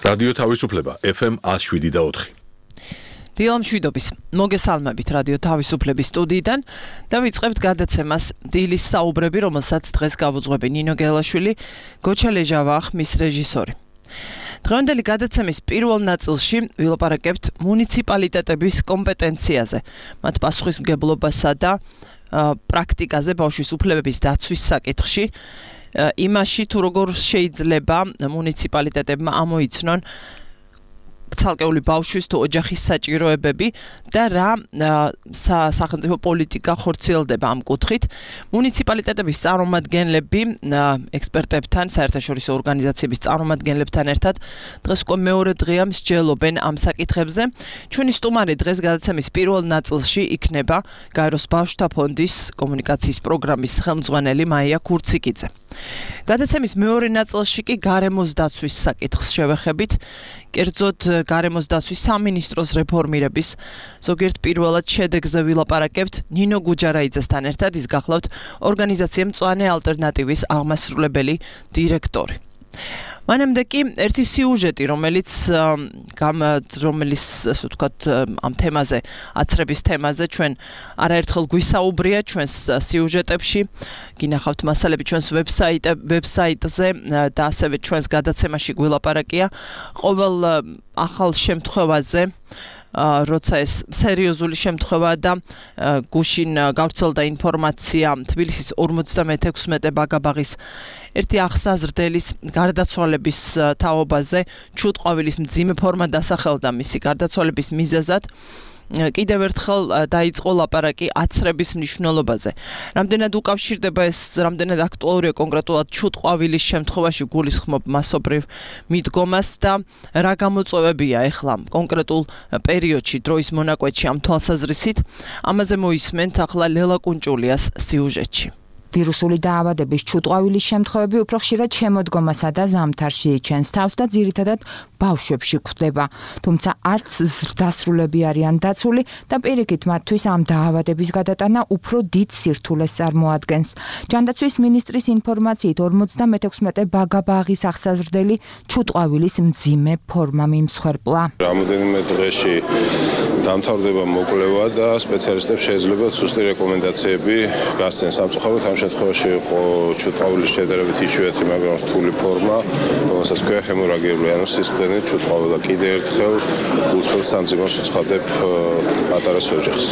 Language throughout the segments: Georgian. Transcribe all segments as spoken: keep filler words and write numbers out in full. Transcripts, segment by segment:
რადიო თავისუფლება ეფ ემ one oh seven და four. დილამ შვიდობის მოგესალმებით რადიო თავისუფლების სტუდიიდან და ვიწყებთ გადაცემას დილის საუბრები, რომელსაც დღეს გავუძღვები ნინო გელაშვილი, გოჩა ლეჟავა ხმის რეჟისორი. დღევანდელი გადაცემის პირველ ნაწილში ვილაპარაკებთ მუნიციპალიტეტების კომპეტენციაზე, მათ პასუხისმგებლობასა და პრაქტიკაზე ბავშვის უფლებების დაცვის საკითხში, იმაში თუ როგორ შეიძლება მუნიციპალიტეტებმა ამოიცნონ ცალკეული ბავშვის თუ ოჯახის საჭიროებები და რა სახელმწიფო პოლიტიკა ხორციელდება ამ კუთხით. მუნიციპალიტეტების წარმომადგენლები ექსპერტებთან, საერთაშორისო ორგანიზაციების წარმომადგენლებთან ერთად დღეს უკვე მეორე დღეა მსჯელობენ ამ საკითხებზე. ჩვენი სტუმარი დღეს გადაცემის პირველ ნაწილში იქნება გაეროს ბავშვთა ფონდის კომუნიკაციის პროგრამის ხელმძღვანელი მაია ქურციკიძე. გადაცემის მეორე ნაწილში კი გარემოს დაცვის საკითხს შევეხებით, კერძოდ გარემოს დაცვის სამინისტროს რეფორმირების ზოგიერთ პირველად შედეგზე ვილაპარაკებთ ნინო გუჯარაიძესთან ერთად, ის გახლავთ ორგანიზაცია მწვანე ალტერნატივის აღმასრულებელი დირექტორი. მანამდე კი ერთი სიუჟეტი, რომელიც რომელიც ასე ვთქვათ ამ თემაზე, აცრების თემაზე ჩვენ არაერთხელ გვისაუბრია ჩვენს სიუჟეტებში, გინახავთ მასალები ჩვენს ვებსაიტზე და ასევე ჩვენს გადაცემაში გვილაპარაკია ყოველ ახალ შემთხვევაზე, როცა ეს სერიოზული შემთხვევა და გუშინ გავრცელდა ინფორმაცია თბილისის ორმოცდამეექვსმეტე ბაგაბაღის ერთი ახსაზრდელის გარდაცვალების თაობაზე, ჩუტყვავილის მძიმე ფორმა დასახელდა მისი გარდაცვალების მიზეზად. კიდევ ერთხელ დაიწყო ლაპარაკი აცრების მნიშვნელობაზე. რამდენად უკავშირდება ეს, რამდენად აქტუალურია კონკრეტულად ჩუტყვავილის შემთხვევაში გულისხმობ მასობრივ მიდგომას და რა გამოწვევებია ეხლა კონკრეტულ პერიოდში, დროის მონაკვეთში ამ თვალსაზრისით. ამაზე მოისმენთ ახლა ლელა კუნჭულიას სიუჟეტში. ვირუსული დაავადების ჩუტყვავილის შემთხვევები უფრო ხშირად შემოდგომასა და ზამთარში იჩენს თავს და ძირითადად ბავშვებში გვხვდება. თუმცა არც ზრდასრულები არიან დაცული და პირიქით მათთვის ამ დაავადების გადატანა უფრო დიდ სირთულეს წარმოადგენს. ჯანდაცვის მინისტრის ინფორმაციით ორმოცდამეექვსმეტე ბაგაბაღის ახსაზრდელი ჩუტყვავილის მძიმე ფორმა მიმსხვერპლა. რამოდენიმე დღეში დამთავრდება მოკვლევა და სპეციალისტებს შეიძლება სუსტი რეკომენდაციები გასცენ სამწუხაროდ. ამ შემთხვევაში იყო ჩუტყვავილის შედარებით იშვიათი, მაგრამ რთული ფორმა, რომელსაც ქვია ჰემორაგიული, ანუ სისხლდენით ჩუტყვავილა. კიდევ ერთხელ უცხოელ სამძიმოს ვუცხადებ პატარა ოჯახს.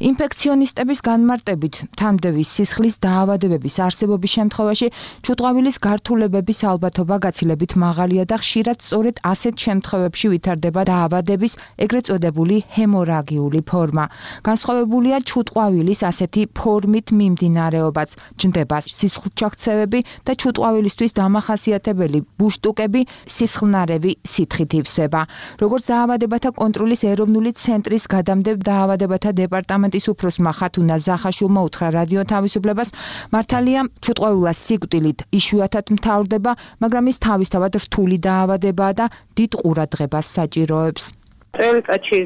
ინფექციონისტების განმარტებით, თამდევის სისხლის დაავადებების არსებობის შემთხვევაში ჩუტყვავილის გართულებების ალბათობა გაცილებით მაღალია და ხშირად სწორედ ასეთ შემთხვევებში ვითარდება დაავადების ეგრეთ წოდებული ჰემორაგიული ფორმა. განსხვავებულია ჩუტყვავილის ასეთი ფორმით მიმდინარეობაც, ჯნდება სისხლჩაქცევები და ჩუტყვავილისთვის დამახასიათებელი ბუშტუკები, სისხლნარევი სითხით ივსება. როგორც დაავადებათა კონტროლის ეროვნული ცენტრის გადამდებთ დაავადებათა დეპარტამენტის უფროსმა ხათუნა ზახაშვილმა უთხრა რადიო თავისუფლებას, მართალია ჩუტყვავილა სიკვდილით იშვიათად მთავრდება, მაგრამ ის თავისთავად რთული დაავადებაა და დიდ ყურადღებას საჭიროებს. წელიწადში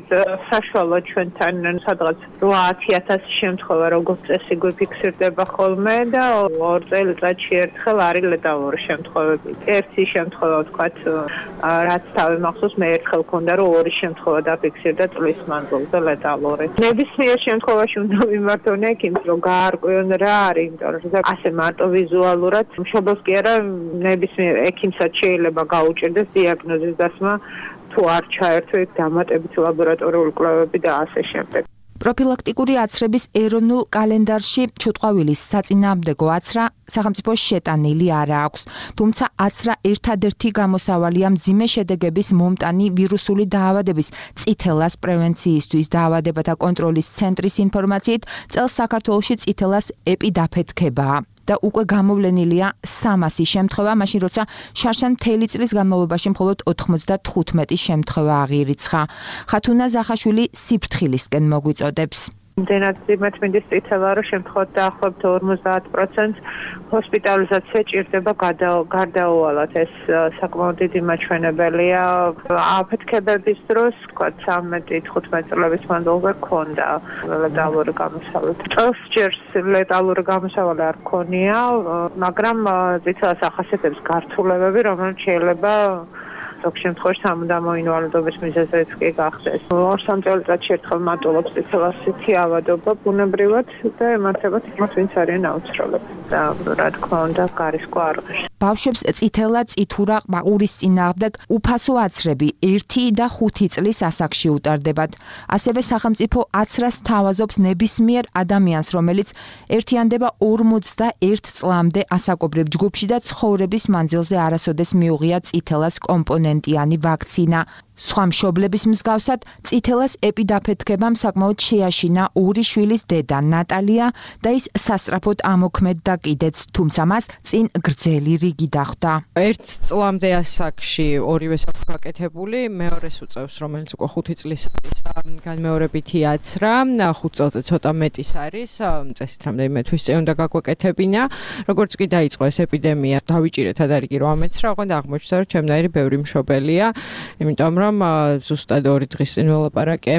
საშუალო ჩვენთან სადღაც ოცი ათასი შემთხვევა როგორც წესი გვიფიქსირდება ხოლმე და ორ წელიწადში ერთხელ არის ლეტალური შემთხვევები. ერთი შემთხვევა ვთქვათ, რაც თავი მახსოვს, მე ერთხელ მქონდა, რომ ორი შემთხვევა დაფიქსირდა წლის მანძილზე ლეტალური. ნებისმიერ შემთხვევაში უნდა მიმართონ ექიმს, რომ გაარკვიონ რა არის, იმიტომ რომ ასე მარტო ვიზუალურად მშობელს კი არა, ნებისმიერ ექიმსაც შეიძლება გაუჭირდეს დიაგნოზის დასმა, თუ არ ჩაერთო იქ დამატებითი ლაბორატორიული კვლევები და ასე შემდეგ. პროფილაქტიკური აცრების ეროვნულ კალენდარში ჩუტყვავილის საწინააღმდეგო აცრა სახელმწიფოს შეტანილი არ აქვს. თუმცა აცრა ერთადერთი გამოსავალია მძიმე შედეგების მომტანი ვირუსული დაავადების წითელას პრევენციისთვის. დაავადებათა კონტროლის ცენტრის ინფორმაციით, წელს საქართველოში წითელას ეპიდაფეთქებაა. და უკვე გამოვლენილია სამასი შემთხვევა, მაშინ როცა შარშან მთელი წლის განმავლობაში მხოლოდ ოთხმოცდათხუთმეტი შემთხვევა აღირიცხა. ხათუნა ზახაშვილი სიფრთხილისკენ მოგვიწოდებს. იმდენად ძიმეთ მინდის წითელა, რომ შემთხვევით დაახლოებით ორმოცდაათ პროცენტს ჰოსპიტალიზაცია ჭირდება გარდაუვალად. ეს საკმაოდ დიდი მაჩვენებელია. აფეთქებების დროს, ვთქვათ, ცამეტი თხუთმეტი წლების მანძილზე ქონდა ლეტალური გამოსავალი. წელს ჯერ ლეტალური გამოსავალი არ ქონია, მაგრამ წითელას ახასიათებს გართულებები, რომელიც შეიძლება ზოგ შემთხვევაში სამუდამო ინვალიდობის მიზეზიც კი გახდეს. ორ-სამ წელიწადში ერთხელ მატულობს წითელასითი ავადობა ბუნებრივად და ემართებათ იმათ, ვინც არიან აუცილებლად და რა თქმა უნდა გარისკო არღეშ. ბავშვებს წითელა, წითურა, ყურის წინააღმდეგ უფასო აცრები ერთი და ხუთი წლის ასაკში უტარდებათ. ასევე სახელმწიფო აცრას თავაზობს ნებისმიერ ადამიანს, რომელიც ერთიანდება ორმოცდაერთ წლამდე ასაკობრივ ჯგუფში და ცხოვრების მანძილზე არასოდეს მიუღია წითელას კომპონენტიანი ვაქცინა. სხვა მშობლების მსგავსად წითელას ეპიდაფეთქებამ საკმაოდ შეაშინა ორი შვილის დედა ნატალია და ის სასწრაფოდ ამოქმედდა კიდეც, თუმცა მას წინ გრძელი რიგი დახვდა. ერთ წლამდე ასაკში ორივე აქვს გაკეთებული, მეორეს უწევს, რომელიც უკვე ხუთი წლის არის, განმეორებითი აცრა, ხუთ წელზე ცოტა მეტის არის, წესით რამდენიმე თვის წინ უნდა გაგვეკეთებინა. როგორც კი დაიწყო ეს ეპიდემია, დავიჭირეთ ადარიგი რომ ამეცრა, ოღონდ აღმოჩნდა, რომ ჩემნაირი ბევრი მშობელია, იმიტომ რომ ზუსტად ორი დღის წინ ველაპარაკე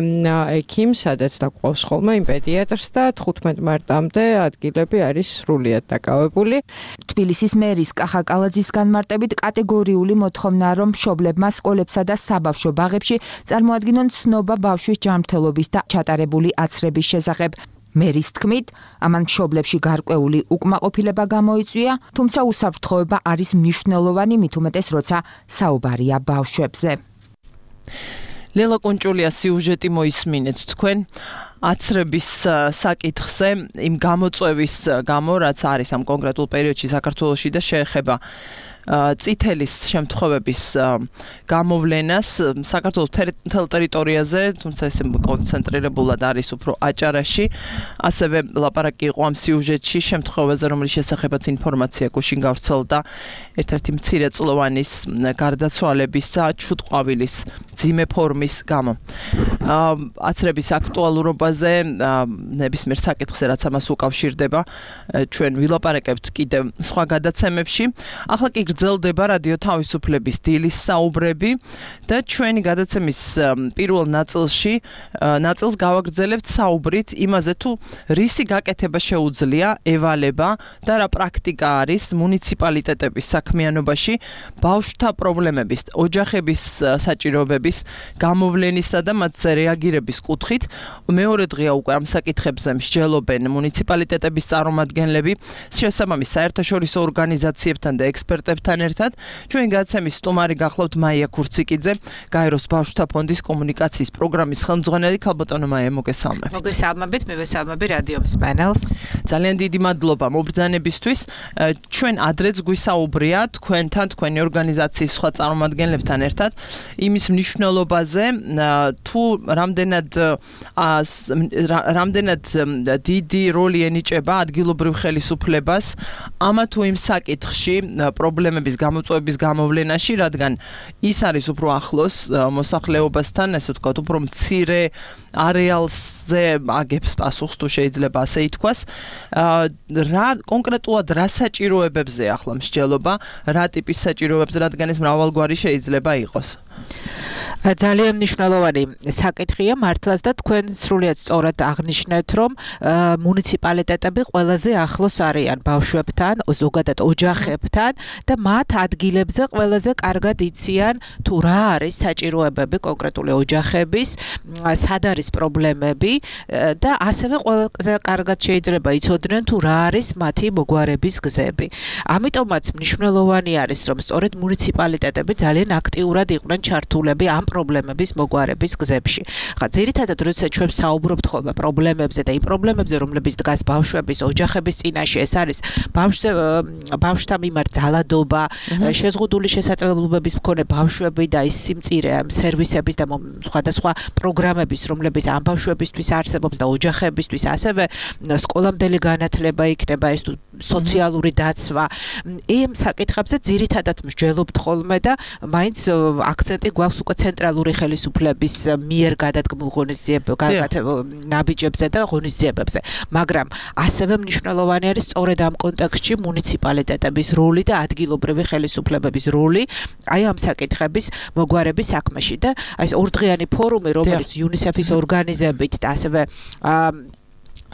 ექიმს, სადაც დაგვყავს ხოლმე იმ პედიატრს და თხუთმეტ მარტამდე ადგილები არის სრულიად დაკავებული. თბილისის მერის კახა კალაძის განმარტებით კატეგორიული მოთხოვნა, რომ მშობლებმა სკოლებსა და საბავშვო ბაღებში წარმოადგინონ ცნობა ბავშვის ჯანმრთელობის და ჩატარებული აცრების შესახებ. მერის თქმით, ამან მშობლებში გარკვეული უკმაყოფილება გამოიწვია, თუმცა უსაფრთხოება არის მნიშვნელოვანი, მით უმეტეს როცა საუბარია ბავშვებზე. ლელა კონჭულია სიუჟეტი მოისმინეთ თქვენ აცრების საკითხზე იმ გამოწვევის გამო, რაც არის ამ კონკრეტულ პერიოდში საქართველოში და შეეხება წითელის შემთხვევების გამოვლენას საქართველოს მთელ ტერიტორიაზე, თუმცა ეს კონცენტრირებულად არის უფრო აჭარაში. ასევე ლაპარაკი იყო ამ სიუჟეტში შემთხვევაზე, რომლის შესახებაც ინფორმაცია გუშინ გავრცელდა ერთ-ერთი მცირეწლოვანის გარდაცვალებისა ჩუტყვავილის ძიმე ფორმის გამო. აცრების აქტუალურობაზე ნებისმიერ საკითხზე, რაც ამას უკავშირდება, ჩვენ ვილაპარაკებთ კიდევ სხვა გადაცემებში. ახლა კი გრძელდება რადიო თავისუფლების დილის საუბრები და ჩვენი გადაცემის პირველ ნაწილში ნაწილს გავაგრძელებთ საუბრით იმაზე, თუ რისი გაკეთება შეუძლია ევალება და რა პრაქტიკა არის მუნიციპალიტეტების საქმიანობაში ბავშვთა პრობლემების, ოჯახების საჭიროებების გამოვლენისა და მათზე რეაგირების კუთხით. მეორე დღეა უკვე ამ საკითხებზე მსჯელობენ მუნიციპალიტეტების წარმომადგენლები შესაბამის საერთაშორისო ორგანიზაციებთან და ექსპერტებთან ერთად. ჩვენ გადაცემის სტუმარი გახლავთ მაია ქურციკიძე, გაეროს ბავშვთა ფონდის კომუნიკაციის პროგრამის ხელმძღვანელი. ქალბატონო მაია, მოგესალმებით. მოგესალმებით, მე ვესალმები რადიო მსმენელს. ძალიან დიდი მადლობა მობრძანებისთვის. ჩვენ ადრეც გვისაუბრია თქვენთან, თქვენი ორგანიზაციის სხვა წარმომადგენლებთან ერთად იმის მნიშვნელობაზე, თუ რამდენად რამდენად დიდი როლი ენიჭება ადგილობრივ ხელისუფლებას ამა თუ იმ საკითხში პრობლემების გამოწვევების გამოვლენაში, რადგან ის არის უფრო ახლოს მოსახლეობასთან, ესე ვთქვათ, უფრო მცირე არეალზე აგებს პასუხს, თუ შეიძლება ასე ითქვას. რა კონკრეტულად რა საჭიროებებზე ახლა მსჯელობა, რა ტიპის საჭიროებებზე, რადგან ეს მრავალგვარი შეიძლება იყოს? ძალიან მნიშვნელოვანი საკითხია მართლაც და თქვენ სრულიად სწორად აღნიშნეთ, რომ მუნიციპალიტეტები ყველაზე ახლოს არიან ბავშვებთან, ზოგადად ოჯახებთან და მათ ადგილებზე ყველაზე კარგად იციან, თუ რა არის საჭიროებები კონკრეტული ოჯახების, სად არის პრობლემები და ასევე ყველაზე კარგად შეიძლება იცოდნენ, თუ რა არის მათი მოგვარების გზები. ამიტომაც მნიშვნელოვანი არის, რომ სწორედ მუნიციპალიტეტები ძალიან აქტიურად იყვნენ ჩართულები ამ პრობლემების მოგვარების გზებში. ხა ძირითადად როცა ჩვენ საუბრობთ ხოლმე პრობლემებზე და იმ პრობლემებზე, რომლებიც დგას ბავშვების, ოჯახების წინაშე, ეს არის ბავშვზე ბავშვთა მიმართ ძალადობა, შეზღუდული შესაძლებლობების მქონე ბავშვები და ის სიმწირე სერვისების და სხვადასხვა პროგრამების, რომლებიც ამ ბავშვებისთვის არსებობს და ოჯახებისთვის, ასევე სკოლამდელი განათლება იქნება, ეს თუ სოციალური დაცვა. იმ საკითხებზე ძირითადად მსჯელობთ ხოლმე და მაინც აქცენტი გვაქვს უკვე ცენტრალური ხელისუფლების მიერ გადადგმულ ღონისძიებებზე, ნაბიჯებზე და ღონისძიებებზე. მაგრამ ასევე მნიშვნელოვანი არის სწორედ ამ კონტექსტში მუნიციპალიტეტების როლი და ადგილობრივი ხელისუფლებების როლი აი ამ საკითხების მოგვარების საქმეში და აი ეს ორდღიანი ფორუმი, რომელიც იუნისეფის ორგანიზებით და ასევე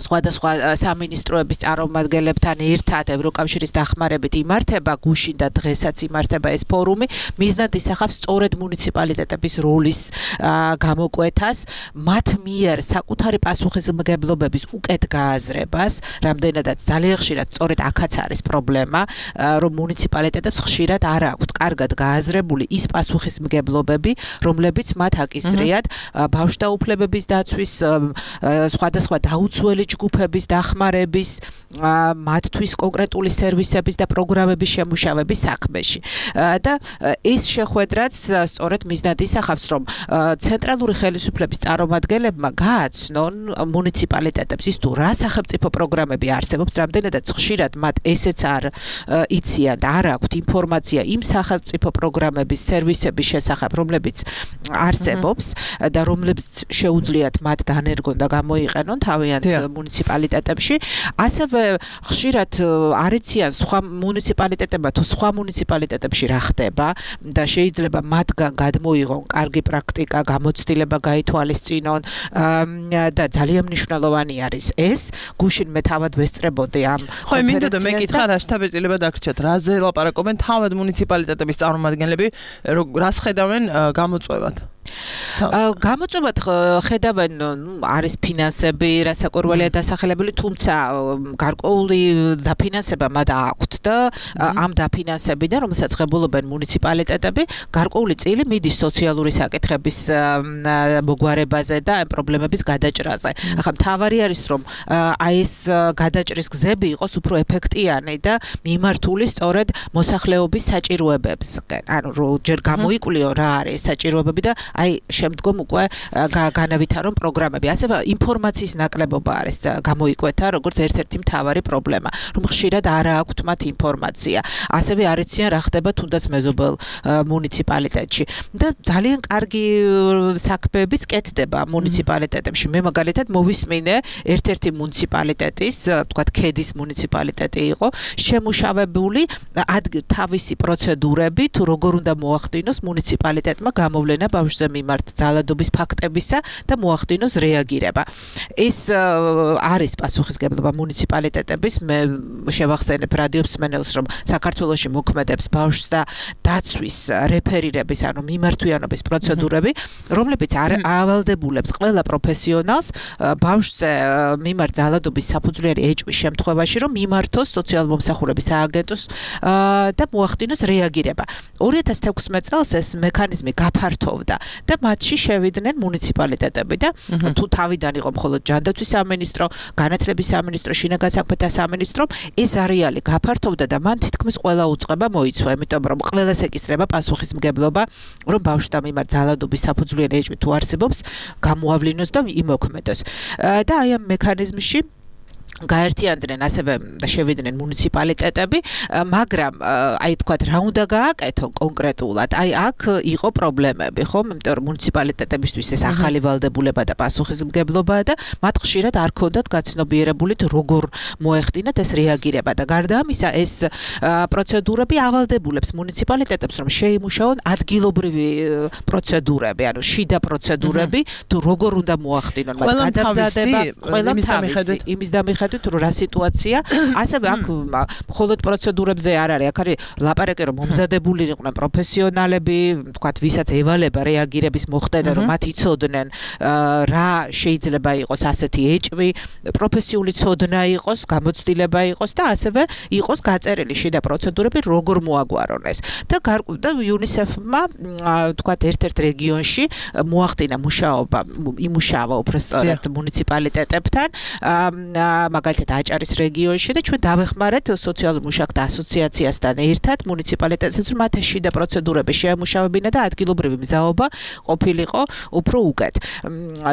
სხვადასხვა სამინისტროების წარმომადგენლებთან ერთად ევროკავშირის დახმარებით იმართება გუშინ და დღესაც იმართება ეს ფორუმი, მიზნად ისახავს სწორედ მუნიციპალიტეტების როლის გამოკვეთას, მათ მიერ საკუთარი პასუხისმგებლობების უკეთ გააზრებას, რამდენადაც ძალიან ხშირად სწორედ აქაც არის პრობლემა, რომ მუნიციპალიტეტებს ხშირად არ აქვთ კარგად გააზრებული ის პასუხისმგებლობები, რომლებიც მათ აკისრიათ ბავშვთა უფლებების დაცვის, სხვადასხვა დაუცველი ჯგუფების დახმარების, მათთვის კონკრეტული სერვისების და პროგრამების შემუშავების საქმეში. და ეს შეხვედრაც სწორედ მიზნად ისახავს, რომ ცენტრალური ხელისუფლების წარმომადგენლებმა გააცნონ მუნიციპალიტეტებს ის თუ რა სახელმწიფო პროგრამები არსებობს, რამდენადაც ხშირად მათ ესეც არ იციან და არ აქვთ ინფორმაცია იმ სახელმწიფო პროგრამების, სერვისების შესახებ, რომლებიც არსებობს და რომლებიც შეუძლიათ მათ დანერგონ და გამოიყენონ თავიანთ მუნიციპალიტეტებში. ასევე ხშირად არ იციან სხვა მუნიციპალიტეტებმა თუ სხვა მუნიციპალიტეტებში რა ხდება და შეიძლება მათგან გადმოიღონ კარგი პრაქტიკა, გამოცდილება გაითვალისწინონ და ძალიან მნიშვნელოვანი არის ეს. გუშინ მე თავად ვესწრებოდი ამ ხო, მინდოდა მე კითხა რა შთაბეჭდილება დაგრჩათ, რაზე ლაპარაკობენ თავად მუნიციპალიტეტების წარმომადგენლები, რას ხედავენ გამოწვევად? გამოწვევად ხედავენ, ნუ არის ფინანსები, რასაკვირველია დასახელებული, თუმცა გარკვეული დაფინანსება მათ აქვთ და ამ დაფინანსებიდან, რომელსაც ღებულობენ მუნიციპალიტეტები, გარკვეული წილი მიდის სოციალური საკითხების მოგვარებაზე და ამ პრობლემების გადაჭრაზე. ახლა მთავარი არის, რომ აი ეს გადაჭრის გზები იყოს უფრო ეფექტიანი და მიმართული სწორედ მოსახლეობის საჭიროებებსკენ. ანუ ჯერ გამოიკვლიო რა არის საჭიროებები და აი შემდგომ უკვე განავითარონ პროგრამები. ასევე ინფორმაციის ნაკლებობა არის გამოიკვეთა, როგორც ერთ-ერთი მთავარი პრობლემა, რომ ხშირად არ აქვთ მათ ინფორმაცია. ასევე არ იციან რა ხდება თუნდაც მეზობელ მუნიციპალიტეტში. და ძალიან კარგი საქმეებიც კეთდება მუნიციპალიტეტებში. მე მაგალითად მოვისმინე ერთ-ერთი მუნიციპალიტეტის, თქვათ ქედის მუნიციპალიტეტი იყო, შემუშავებული თავისი პროცედურები, თუ როგორ უნდა მოახდინოს მუნიციპალიტეტმა გამოვლენა ბავშვზე მიმართ ძალადობის ფაქტებისა და მოახდინოს რეაგირება. ეს არის პასუხისმგებლობა მუნიციპალიტეტების. მე შევახსენებ რადიომსმენელს, რომ საქართველოში მოქმედებს ბავშვს და დაცვის რეფერირების, ანუ მიმართვიანობის პროცედურები, რომლებიც ავალდებულებს ყველა პროფესიონალს ბავშვზე მიმართ ძალადობის საფუძვლიანი ეჭვის შემთხვევაში, რომ მიმართოს სოციალურ-მომსახურების სააგენტოს და მოახდინოს რეაგირება. ორი ათას თექვსმეტ წელს ეს მექანიზმი გაფართოვდა და მათში შევიდნენ მუნიციპალიტეტები და თუ თავიდან იყო მხოლოდ ჯანდაცვის სამინისტრო, განათლების სამინისტრო, შინაგან საქმეთა სამინისტრო, ეს არეალი გაფართოვდა და მან თითქმის ყველა უწყება მოიცვა, იმიტომ რომ ყველას ეკისრება პასუხისმგებლობა, რომ ბავშვთა მიმართ ძალადობის საფუძვლიანი ეჭვი თუ არსებობს, გამოავლინოს და იმოქმედოს. და აი ამ მექანიზმში გაერთიანდნენ ასევე და შევიდნენ მუნიციპალიტეტები, მაგრამ აი თქვათ რა უნდა გააკეთონ კონკრეტულად. აი აქ იყო პრობლემები, ხო? იმიტომ რომ მუნიციპალიტეტებისთვის ეს ახალი ვალდებულება და პასუხისმგებლობაა და მათ ხშირად არ ქონდათ გაცნობიერებული თუ როგორ მოეხდინათ ეს რეაგირება და გარდა ამისა ეს პროცედურები ავალდებულებს მუნიციპალიტეტებს, რომ შეიმუშაონ ადგილობრივი პროცედურები, ანუ შიდა პროცედურები, თუ როგორ უნდა მოახდინონ მათ გადამზადება, ყველა თავისი იმის დამიხ თუ რა სიტუაცია, ასევე აქ მხოლოდ პროცედურებზე არ არის, აქ არის ლაპარაკი, რომ მომზადებული იყვნენ პროფესიონალები, თქვათ, ვისაც ევალება რეაგირების მოხდენა, რომ მათ იცოდნენ რა შეიძლება იყოს ასეთი ეჭვი, პროფესიული ცოდნა იყოს, გამოცდილება იყოს და ასევე იყოს გაწერილი შიდა პროცედურები, როგორ მოაგვარონ ეს. და და იუნისეფმა, თქვათ, ერთ-ერთ რეგიონში მოახდინა მუშაობა, იმუშავა უფრო სწორად მუნიციპალიტეტებთან, მაგალითად აჭარის რეგიონში და ჩვენ დავეხმარეთ სოციალურ მუშაკთა ასოციაციასთან ერთად მუნიციპალიტეტებს, რომ მათ შიდა პროცედურები შეამუშავებინა და ადგილობრივი მზაობა ყოფილიყო უფრო უკეთ.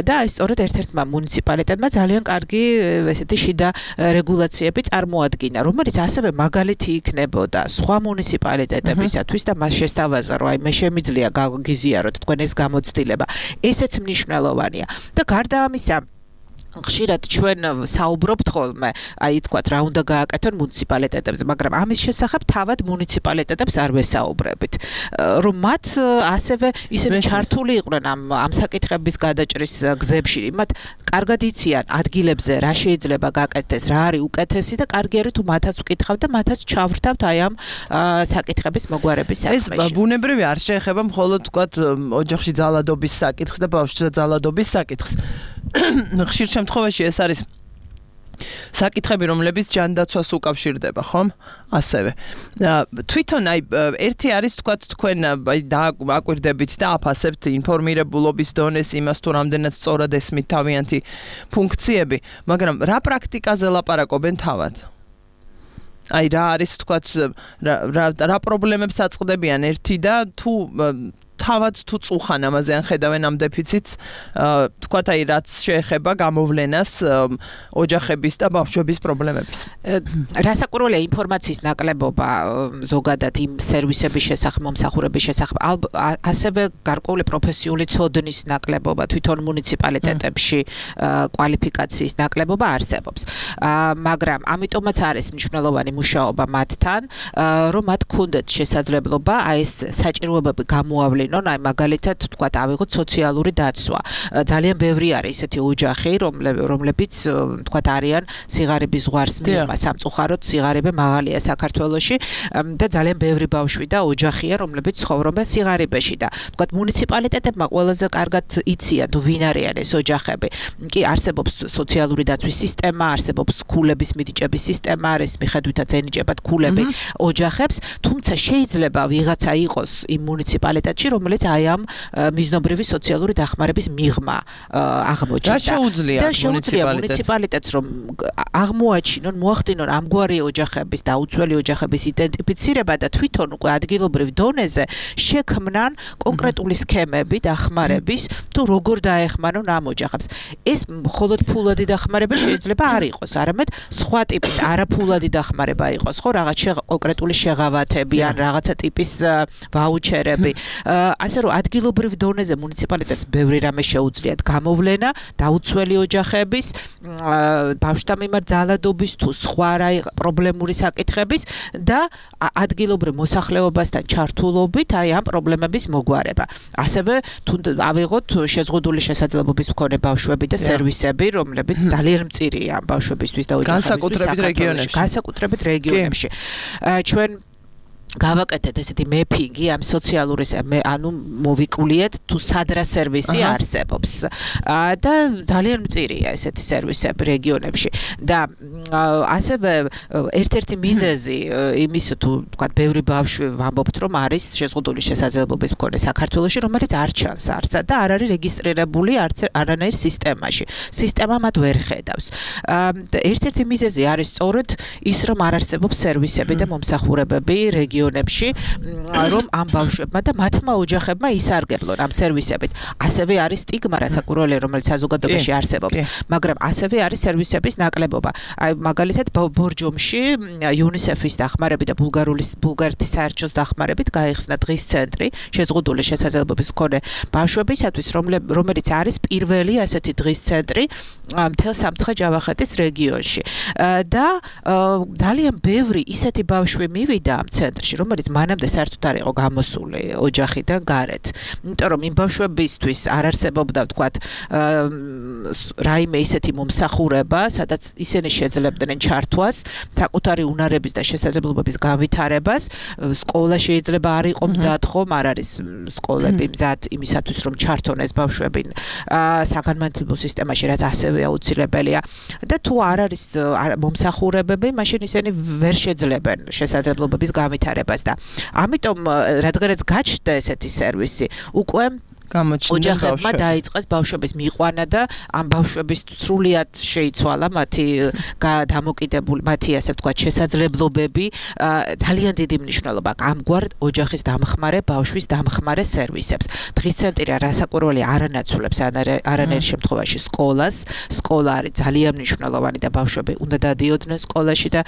და აი სწორედ ერთ-ერთმა მუნიციპალიტეტმა ძალიან კარგი ესეთი შიდა რეგულაციები წარმოადგინა, რომელიც ასევე მაგალითი იქნებოდა სხვა მუნიციპალიტეტებისათვის და მას შესთავაზა, რომ აი მე შემიძლია გაგიზიაროთ თქვენ ეს გამოცდილება. ესეც მნიშვნელოვანია. და გარდა ამისა ხშირად ჩვენ საუბრობთ ხოლმე, აი თქვათ რა უნდა გააკეთონ მუნიციპალიტეტებზე, მაგრამ ამის შესახებ თავად მუნიციპალიტეტებს არ ვესაუბრებით. რომ მათ ასევე ისინი ჩართული იყვნენ ამ ამ საკითხების გადაჭრის გზებში, მათ კარგად იციან ადგილებზე რა შეიძლება გაკეთდეს, რა არის უკეთესი და კარგი არის თუ მათაც ვკითხავთ და მათაც ჩავრთავთ აი ამ საკითხების მოგვარების საქმეში. ეს ბუნებრივი არ შეეხება მხოლოდ თქვათ ოჯახში ძალადობის საკითხს და ბავშვთა ძალადობის საკითხს. ხშირ შემთხვევაში ეს არის საკითხები, რომლებიც ჯანდაცვას უკავშირდება, ხომ? ასევე. თვითონ აი ერთი არის თქვათ თქვენ აი დააკვირდებით და აფასებთ ინფორმირებულობის დონეს იმას თუ რამდენად სწორად ესმით თავიანთი ფუნქციები, მაგრამ რა პრაქტიკაზე ლაპარაკობენ თავად? აი რა არის თქვათ რა რა პრობლემებს აწყდებიან ერთი და თუ თავად თუ წუხან ამაზე ან ხედავენ ამ დეფიციტს, თქვათ აი რაც შეეხება გამოვლენას ოჯახების და ბავშვების პრობლემების. რასაკვირველია ინფორმაციის ნაკლებობა ზოგადად იმ სერვისების შესახებ, მომსახურების შესახებ, ასევე გარკვეული პროფესიული ცოდნის ნაკლებობა თვითონ მუნიციპალიტეტებში კვალიფიკაციის ნაკლებობა არსებობს. მაგრამ ამიტომაც არის მნიშვნელოვანი მუშაობა მათთან, რომ მათ ქონდეთ შესაძლებლობა აი ეს საჭიროებები გამოავლინონ, აი მაგალითად თქვათ ავიღოთ სოციალური დაცვა. ძალიან ბევრი არის ესეთი ოჯახი, რომლებიც თქვათ არიან სიღარიბის ზღვარს მიღმა, სამწუხაროდ სიღარიბე მაღალია საქართველოში და ძალიან ბევრი ბავშვი და ოჯახია, რომლებიც ცხოვრობენ სიღარიბეში და თქვათ მუნიციპალიტეტებმა ყველაზე კარგად იციან თუ ვინ არიან ეს ოჯახები. კი არსებობს სოციალური დაცვის სისტემა, არსებობს ქულების მიდიჭების სისტემა, არის მიხედვითაც ენიჭებათ ქულები ოჯახებს, თუმცა შეიძლება ვიღაცა იყოს იმ მუნიციპალიტეტში, რომელიც აი ამ მიზნობრივი სოციალური დახმარების მიღმა აღმოჩნდა. და შეუძლია მუნიციპალიტეტს რომ აღმოაჩინონ, მოახდინონ ამგვარი ოჯახების და უცვლელი ოჯახების იდენტიფიცირება და თვითონ უკვე ადგილობრივ დონეზე შექმნან კონკრეტული სქემები დახმარების თუ როგორ დაეხმარონ ამ ოჯახებს. ეს მხოლოდ ფულადი დახმარება შეიძლება არ იყოს, არამედ სხვა ტიპის არაფულადი დახმარება იყოს, ხო, რაღაც კონკრეტული შეღავათები ან რაღაცა ტიპის ვაუჩერები. ასე რომ ადგილობრივ დონეზე მუნიციპალიტეტს ბევრი რამე შეუძლიათ გამოვლენა დაუცველი ოჯახების, ბავშვთა მიმართ ძალადობის თუ სხვა რა პრობლემური საკითხების და ადგილობრივ მოსახლეობასთან ჩართულობით აი ამ პრობლემების მოგვარება. ასევე თუ ავიღოთ შეზღუდული შესაძლებლობის მქონე ბავშვები და სერვისები, რომლებიც ძალიან მწირია ბავშვებისთვის და ოჯახებისთვის საქართველოში, განსაკუთრებით რეგიონებში. ჩვენ გავაკეთეთ ესეთი მეფინგი ამ სოციალური ანუ მოვიკულიეთ თუ სად რა სერვისი არსებობს და ძალიან მწირია ესეთი სერვისები რეგიონებში და ასევე ერთ-ერთი მიზეზი იმის თუ თქვა ბევრი ბავშვი ვამბობთ რომ არის შეზღუდული შესაძლებლობის მქონე საქართველოში, რომელიც არ ჩანს არცად და არ არის რეგისტრირებული არანაირ სისტემაში. სისტემა მათ ვერ ხედავს. ერთ-ერთი მიზეზი არის სწორედ ის რომ არ არსებობს სერვისები და მომსახურებები რეგიონებში, რომ ამ ბავშვებმა და მათმა ოჯახებმა ისარგებლონ ამ სერვისებით. ასევე არის სტიგმა, რასაკვირველია, რომელიც საზოგადოებაში არსებობს, მაგრამ ასევე არის სერვისების ნაკლებობა. აი მაგალითად ბორჯომში იუნისეფის დახმარებით და ბულგარულის ბულგარეთის საერთაშორისო დახმარებით გაიხსნა დღის ცენტრი შეზღუდული შესაძლებლობის მქონე ბავშვებისათვის, რომელიც არის პირველი ასეთი დღის ცენტრი მთელ სამცხე-ჯავახეთის რეგიონში. და ძალიან ბევრი ისეთი ბავშვი მივიდა ამ ცენტრში, რომელიც მანამდე საერთოდ არ იყო გამოსული ოჯახიდან გარეთ. იმიტომ რომ იმ ბავშვებისთვის არ არსებობდა, ვთქვათ, რაიმე ისეთი მომსახურება, სადაც ისინი შეძლებდნენ ჩართვას, საკუთარი უნარების და შესაძლებლობების განვითარებას. სკოლა შეიძლება არ იყო მზად, ხომ, არ არის სკოლები მზად იმისათვის, რომ ჩართონ ეს ბავშვები საგანმანათლებლო სისტემაში, რაც ასევე აუცილებელია. და თუ არ არის მომსახურებები, მაშინ ისინი ვერ შეძლებენ შესაძლებლობების განვითარებას და ამიტომ რადგანაც გაჩნდა ესეთი სერვისი, უკვე ოჯახებმა დაიწყეს ბავშვების მიყვანა და ამ ბავშვების სრულიად შეიცვალა მათი დამოკიდებული, მათი ასე ვთქვათ შესაძლებლობები. ძალიან დიდი მნიშვნელობა ამგვარ ოჯახის დამხმარე, ბავშვის დამხმარე სერვისებს. დღის ცენტრი რასაკვირველია არანაცვლებს არანაირ შემთხვევაში სკოლას. სკოლა არის ძალიან მნიშვნელოვანი და ბავშვები უნდა დადიოდნენ სკოლაში და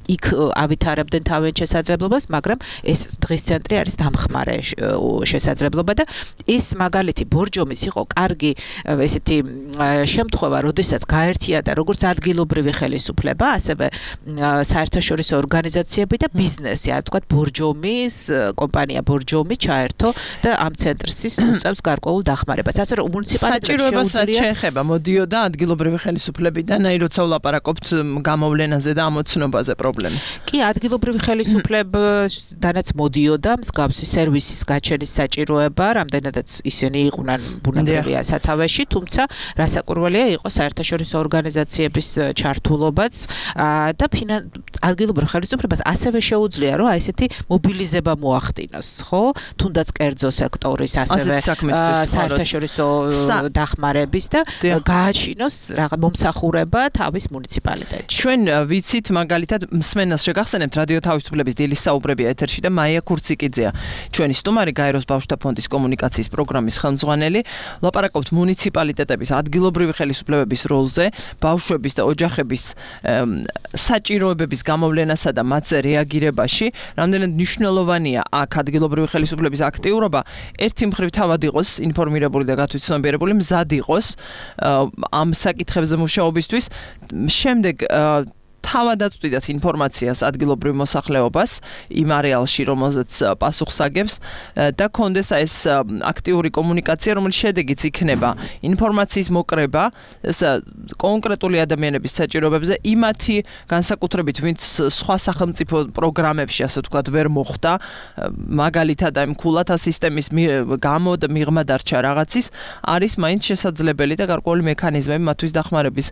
იქ ავითარებდნენ თავიანთ შესაძლებლობას, მაგრამ ეს დღის ცენტრი არის დამხმარე შესაძლებლობა და ეს მაგალითი ბორჯომის იყო კარგი ესეთი შემთხვევა, როდესაც გაერთიანდა როგორც ადგილობრივი ხელისუფლება, ასევე საერთაშორისო ორგანიზაციები და ბიზნესი, ასე ვთქვათ, ბორჯომის კომპანია ბორჯომი ჩაერთო და ამ ცენტრს უწევს გარკვეულ დახმარებას. ასე რომ მუნიციპალიტეტს შეუძლია შეეხება მოდიოდა ადგილობრივი ხელისუფლებიდან, აი როცა ვლაპარაკობთ გამოვლენაზე და ამოცნობაზე პრობლემის. კი, ადგილობრივი ხელისუფლებიდანაც მოდიოდა მსგავსი სერვისის გაჩენის საჭიროება, რამდენადაც ისინი იყვნენ ბუნებრივია სათავეში, თუმცა რასაკვირველია იყო საერთაშორისო ორგანიზაციების ჩართულობაც და ადგილობრივ ხელისუფლებას ასევე შეუძლია, რომ აი ესეთი მობილიზება მოახდინოს, ხო? თუნდაც კერძო სექტორის, ასევე საერთაშორისო დახმარების და გააჩინოს რაღაც მომსახურება თავის მუნიციპალიტეტში. ჩვენ ვიცით მაგალითად მსმენელს შეგახსენებთ რადიო თავისუფლების დილის საუბრებია ეთერში და მაია ქურციკიძეა ჩვენი სტუმარი, გაეროს ბავშვთა ფონდის კომუნიკაციის პროგრამის ხელმძღვანელი. ვლაპარაკობთ მუნიციპალიტეტების ადგილობრივი ხელისუფლებების როლზე, ბავშვების და ოჯახების საჭიროებების გამოვლენასა და მათზე რეაგირებაში. რამდენად მნიშვნელოვანია აქ ადგილობრივი ხელისუფლების აქტიურობა, ერთი მხრივ თავად იყოს ინფორმირებული და გათვითცნობიერებული, მზად იყოს ამ საკითხებზე მუშაობისთვის. შემდეგ თავადაც ვწვდით ინფორმაციას ადგილობრივ მოსახლეობას იმ არეალში, რომელზეც პასუხს აგებს და კონდეს ეს აქტიური კომუნიკაცია, რომელიც შედეგიც იქნება ინფორმაციის მოკრება კონკრეტული ადამიანების საჭიროებებზე, იმათი განსაკუთრებით, ვინც სხვა სახელმწიფო პროგრამებში, ასე ვთქვათ, ვერ მოხვდა, მაგალითად აი მქულათა სისტემის გამო და მიღმა დარჩა რაღაცის, არის მაინც შესაძლებელი და გარკვეული მექანიზმები მათთვის დახმარების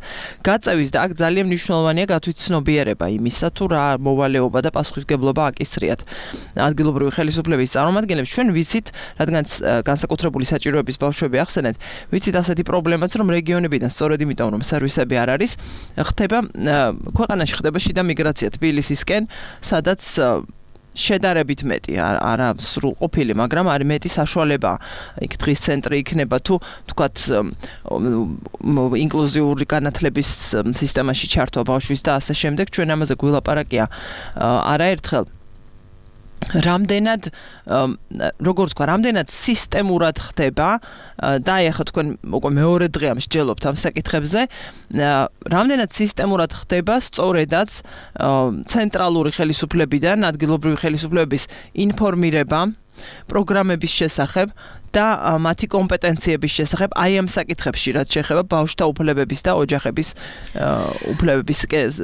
გაწევის და აქ ძალიან მნიშვნელოვანია გათვით ცნობიერება იმისა, თუ რა მოვალეობა და პასუხისმგებლობა აკისრიათ ადგილობრივი ხელისუფლების წარმომადგენლებს. ჩვენ ვიცით, რადგან განსაკუთრებული საჭიროების ბავშვები ახსენეთ, ვიცით ასეთი პრობლემაც, რომ რეგიონებიდან სწორედ იმიტომ, რომ სერვისები არ არის, ხდება ქვეყანაში ხდება შიდა მიგრაცია თბილისისკენ, სადაც შედარებით მეტი, არა სრულყოფილი, მაგრამ არის მეტი საშუალება. იქ დღის ცენტრი იქნება თუ თქვათ ინკლუზიური განათლების სისტემაში ჩართვა ბავშვის და ასე შემდეგ. ჩვენ ამაზე გვილაპარაკია არაერთხელ. რამდენად როგორ თქვა, რამდენად სისტემურად ხდება და აი ახლა თქვენ უკვე მეორე დღეა მსჯელობთ ამ საკითხებზე, რამდენად სისტემურად ხდება სწორედაც ცენტრალური ხელისუფლებიდან ადგილობრივი ხელისუფლებების ინფორმირება პროგრამების შესახებ და მათი კომპეტენციების შესახებ აი ამ საკითხებში, რაც შეეხება ბავშვთა უფლებების და ოჯახების უფლებების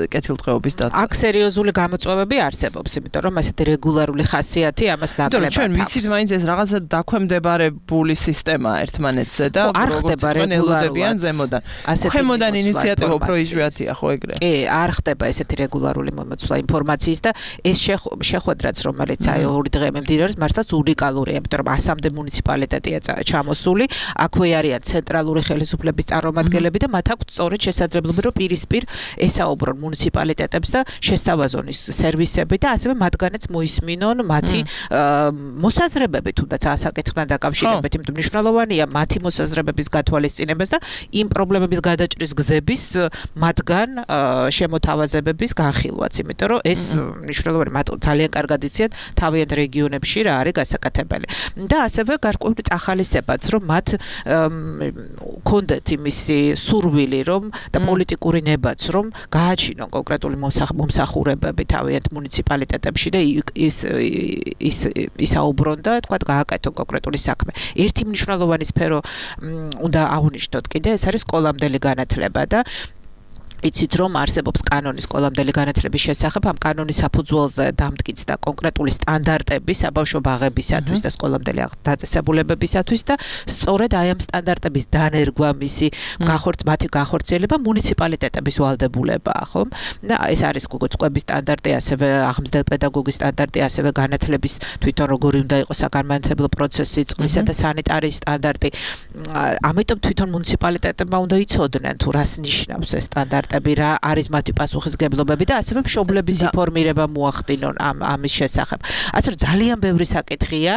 კეთილდღეობის დაცვას. აქ სერიოზული გამოწვევები არსებობს, იმიტომ რომ ასეთი რეგულარული ხასიათი ამას ნაკლებად. ჩვენ ვიცით, მაინც ეს რაღაცა დაქვემდებარებული სისტემაა ერთმანეთზე და არ ხდება რეგულარულად ზემოდან. ქვემოდან ინიციატივა უფრო იშვიათია, ხო ეგრე? კი, არ ხდება ესეთი რეგულარული მომოცვლა ინფორმაციის და ეს შეხვედრაც, რომელიც აი ორი დღე მიმდინარეობს, მართლაც უნიკალურია, იმიტომ რომ ასამდე მუნიციპალიტეტი ჩამოსული, აქვე არიან ცენტრალური ხელისუფლების წარმომადგენლები და მათ აქვთ სწორედ შესაძლებლობა, რომ პირისპირ ესაუბრონ მუნიციპალიტეტებს და შესთავაზონ ის სერვისები და ასევე მათგანაც მოისმინონ მათი მოსაზრებები, თუნდაც ამ საკითხთან დაკავშირებით, იმიტომ მნიშვნელოვანია მათი მოსაზრებების გათვალისწინებას და იმ პრობლემების გადაჭრის გზების მათგან შემოთავაზებების განხილვაც, იმიტომ რომ ეს მნიშვნელოვანია, მათ ძალიან კარგად იციან თავიანთ რეგიონებში რა არის გასაკეთებელი. და ასევე გარკვეული ახალისებაც, რომ მათ კონდეთ იმისი სურვილი, რომ და პოლიტიკური ნებაც, რომ გააჩინონ კონკრეტული მომსახურებები თავიანთ მუნიციპალიტეტებში და ის ის ისაუბრონ და თქვა გააკეთონ კონკრეტული საქმე. ერთი მნიშვნელოვანი სფერო უნდა აღნიშნოთ კიდე, ეს არის სკოლამდელი განათლება და იცით რომ არსებობს კანონი სკოლამდელი განათლების შესახებ, ამ კანონის საფუძველზე დამტკიცდა კონკრეტული სტანდარტები საბავშვო ბაღებისათვის და სკოლამდელი დაწესებულებებისათვის და სწორედ აი ამ სტანდარტების დანერგვა, მისი მათი განხორციელება მუნიციპალიტეტების ვალდებულებაა, ხო? და ეს არის გოგოწყების სტანდარტი, ასევე აღმზრდელ პედაგოგის სტანდარტი, ასევე განათლების თვითონ როგორი უნდა იყოს საგანმანათლებლო პროცესი, წყლისა და სანიტარიის სტანდარტი. ამიტომ თვითონ მუნიციპალიტეტებმა უნდა იცოდნენ თუ რას ნიშნავს ეს სტანდარტი. ექსპერტები რა არის მათი პასუხისგებლობები და ასევე მშობლების ინფორმირება მოახდინონ ამ ამის შესახებ. ასე რომ ძალიან ბევრი საკითხია,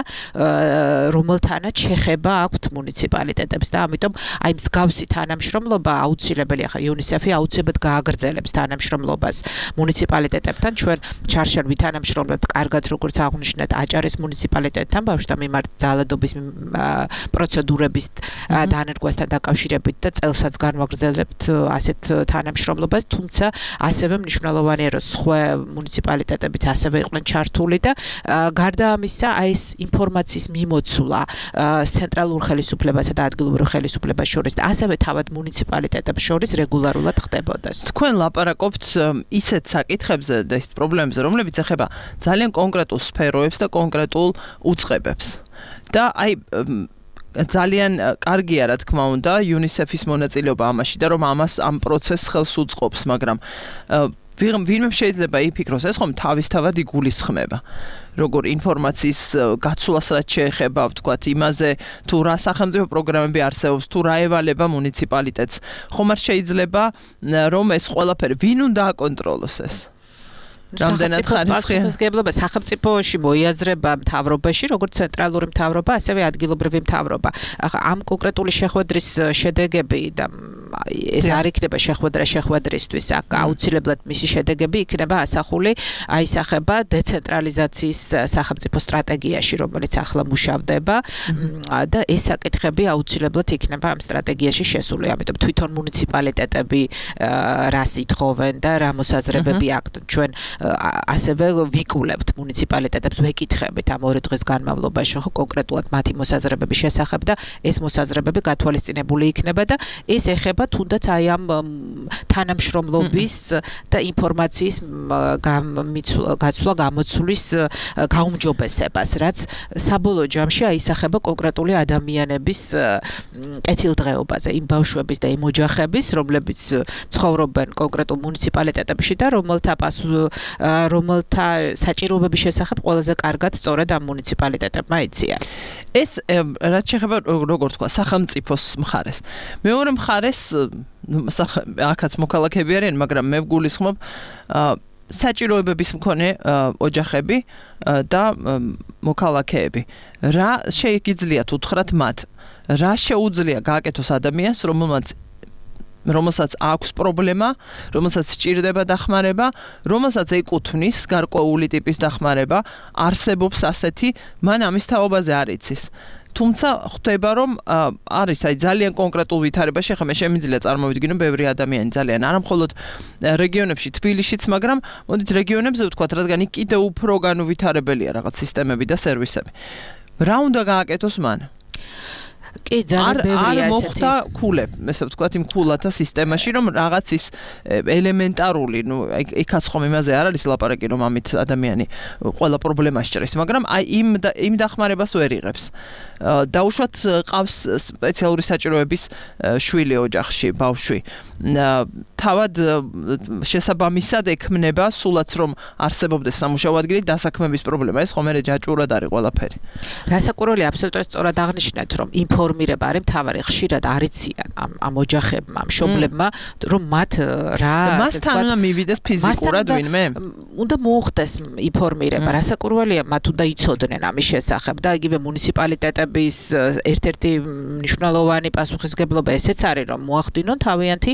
რომელთანაც შეხება აქვთ მუნიციპალიტეტებს და ამიტომ აი მსგავსი თანამშრომლობა აუცილებელია. ხა იუნისეფი აუცილებლად გააგრძელებს თანამშრომლობას მუნიციპალიტეტებთან. ჩვენ ჩარშან ვითანამშრომლებთ კარგად, როგორც აღვნიშნეთ, აჭარის მუნიციპალიტეტთან ბავშვთა მიმართ ძალადობის პროცედურების დანერგვასთან დაკავშირებით და წელსაც განვაგრძელებთ ასეთ თანამშრომლობას, თუმცა ასევე მნიშვნელოვანია, რომ სხვა მუნიციპალიტეტებიც ასევე იყვნენ ჩართული და გარდა ამისა, აი ეს ინფორმაციის მიმოცვლა ცენტრალურ ხელისუფლებასა და ადგილობრივ ხელისუფლებას შორის და ასევე თავად მუნიციპალიტეტებს შორის რეგულარულად ხდებოდეს. თქვენ ლაპარაკობთ ისეთ საკითხებზე და ის პრობლემებზე, რომლებიც ეხება ძალიან კონკრეტულ სფეროებს და კონკრეტულ უწყებებს. და აი ძალიან კარგია, რა თქმა უნდა, იუნისეფის მონაწილეობა ამაში და რომ ამას ამ პროცესს ხელს უწყობს, მაგრამ ვინმე შეიძლება იფიქროს, ეს ხომ თავისთავად იგულისხმება. როგორ ინფორმაციის გაცვლას რაც შეეხება, ვთქვათ, იმაზე, თუ რა სახელმწიფო პროგრამები არსებობს, თუ რა ევალება მუნიციპალიტეტს, ხომ არ შეიძლება რომ ეს ყველაფერი ვინ უნდა აკონტროლოს ეს? რამდენად ხარისხიანობა სახელმწიფოში მოიაზრება მთავრობაში, როგორც ცენტრალური მთავრობა, ასევე ადგილობრივი მთავრობა. ახლა ამ კონკრეტული შეხვედრის შედეგები და ეს არ იქნება შეხვედრა შეხვედრისთვის, აქ აუცილებლად მისი შედეგები იქნება ასახული, აისახება დეცენტრალიზაციის სახელმწიფო სტრატეგიაში, რომელიც ახლა მუშავდება და ეს საკითხები აუცილებლად იქნება ამ სტრატეგიაში შესული. ამიტომ თვითონ მუნიციპალიტეტები რას ითხოვენ და რა მოსაზრებები აქვთ. ჩვენ ასევე ვიკულებთ მუნიციპალიტეტებს, ვეკითხებით ამ ორი დღის განმავლობაში ხო კონკრეტულად მათი მოსაზრებების შესახებ და ეს მოსაზრებები გათვალისწინებული იქნება და ეს ეხება თუნდაც აი ამ თანამშრომლობის და ინფორმაციის გაცვლა გამოცვლის გაუმჯობესებას, რაც საბოლოო ჯამში აისახება კონკრეტული ადამიანების კეთილდღეობაზე, იმ ბავშვების და იმ ოჯახების, რომლებიც ცხოვრობენ კონკრეტულ მუნიციპალიტეტებში და რომელთა პასუხ რომელთა საჭიროებების შესახებ ყველაზე კარგად სწორედ ამ მუნიციპალიტეტებმა იციან. ეს რაც შეეხება როგორ თქვა სახელმწიფოს მხარეს. მეორე მხარეს აქაც მოქალაქეები არიან, მაგრამ მე ვგულისხმობ საჭიროებების მქონე ოჯახები და მოქალაქეები. რა შეიგიძლიათ უთხრათ მათ? რა შეუძლია გააკეთოს ადამიანს, რომელმაც რომელსაც აქვს პრობლემა, რომელსაც სჭირდება დახმარება, რომელსაც ეკუთვნის გარკვეული ტიპის დახმარება, არსებობს ასეთი, მან ამის თაობაზე არ იცის. თუმცა ხვდება, რომ არის აი ძალიან კონკრეტულ ვითარებაში, ხა მე შემიძლია წარმოვიდგინო ბევრი ადამიანი ძალიან არა მხოლოდ რეგიონებში, თბილისშიც, მაგრამ მოდით რეგიონებზე ვთქვათ, რადგან იქ კიდევ უფრო განუვითარებელია რაღაც სისტემები და სერვისები. რა უნდა გააკეთოს მან? კი, ძალიან ბევრია ესეთი. არ მოხდა ქულებ, ესე ვთქვათ, იმ ქულათა სისტემაში, რომ რაღაც ის ელემენტარული, ნუ იქაც ხომ იმაზე არ არის ლაპარაკი, რომ ამით ადამიანი ყველა პრობლემას ჭრეს, მაგრამ აი იმ იმ დახმარებას ვერ იღებს. დაუშვათ ყავს სპეციალური საჭიროების შვილი ოჯახში, ბავშვი. თავად შესაბამისად ექმნება სულაც რომ არსებობდეს სამუშაო ადგილი დასაქმების პრობლემა. ეს ხომ მე ჯაჭვურად არის ყველაფერი. რასაკვირველია, აბსოლუტურად სწორად აღნიშნეთ, რომ ინფორმირება არის მთავარი, ხშირად არ იციან ამ ამ ოჯახებმა, მშობლებმა, რომ მათ რა მასთან უნდა მივიდეს ფიზიკურად ვინმე? უნდა მოუხდეს ინფორმირება. რასაკვირველია, მათ უნდა იცოდნენ ამის შესახებ და იგივე მუნიციპალიტეტების ერთ-ერთი მნიშვნელოვანი პასუხისგებლობა ესეც არის, რომ მოახდინონ თავიანთი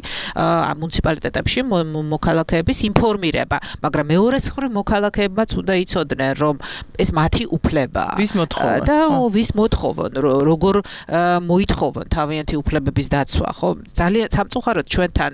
მუნიციპალიტეტებში მოქალაქეების ინფორმირება, მაგრამ მეორე მხრივ მოქალაქეებმაც უნდა იცოდნენ, რომ ეს მათი უფლებაა. ვის მოთხოვნა? და ვის მოთხოვონ, როგორ მოითხოვონ თავიანთი უფლებების დაცვა, ხო? ძალიან სამწუხაროდ ჩვენთან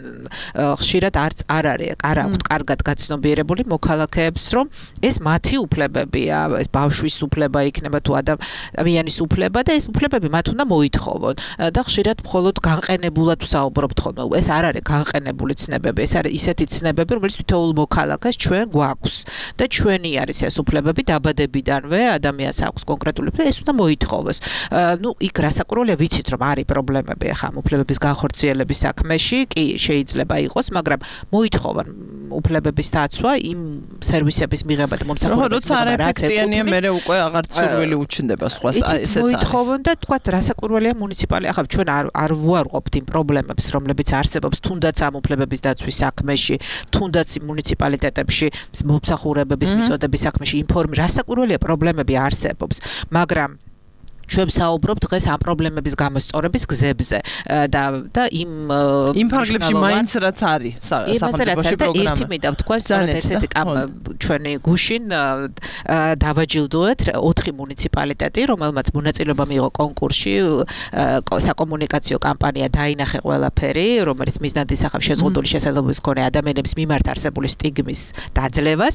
ხშირად არც არ არის, არ აქვთ კარგად გაცნობიერებული მოქალაქეებს, რომ ეს მათი უფლებებია, ეს ბავშვის უფლება იქნება თუ ადამიანის უფლება და ეს უფლებები მათ უნდა მოითხოვონ. და ხშირად მხოლოდ განყენებულად ვსაუბრობთ ხოლმე. ეს არ არის განყენებული ცნებები, ეს არის ისეთი ცნებები, რომელიც თითოეულ მოქალაქეს ჩვენ გვაქვს და ჩვენი არის ეს უფლებები დაბადებიდანვე ადამიანს აქვს კონკრეტული უფლება, ეს უნდა მოითხოვოს. ნუ იქ რასაკვირველია რასაკურველია ვიცით რომ არის პრობლემები ახლა უფლებების განხორციელების საქმეში კი შეიძლება იყოს მაგრამ მოითხოვან უფლებების დაცვა იმ სერვისების მიღება და მომსახურების მიღება რაც ეტიანია მე უკვე აღარ ცურვილი უჩნდება სხვა ესეც არის მოითხოვონ და თქვა რასაკურველია მუნიციპალი ახლა ჩვენ არ არ ვუარყოფთ იმ პრობლემებს რომლებიც არსებობს თუნდაც ამ უფლებების დაცვის საქმეში თუნდაც მუნიციპალიტეტებში მომსახურებების მიწოდების საქმეში ინფორმი რასაკურველია პრობლემები არსებობს მაგრამ ჩვენ საუბრობთ დღეს ამ პრობლემების გამოსწორების გზებზე და და იმ იმ ფარგლებში მაინც რაც არის სახელმწიფოში პროგრამა. ერთი მინდა ვთქვა, სწორედ ერთ-ერთი ჩვენი გუშინ დავაჯილდოეთ ოთხი მუნიციპალიტეტი, რომელმაც მონაწილეობა მიიღო კონკურსში, საკომუნიკაციო კამპანია დაინახე ყველაფერი, რომელიც მიზნად ისახავს შეზღუდული შესაძლებლობის მქონე ადამიანების მიმართ არსებული სტიგმის დაძლევას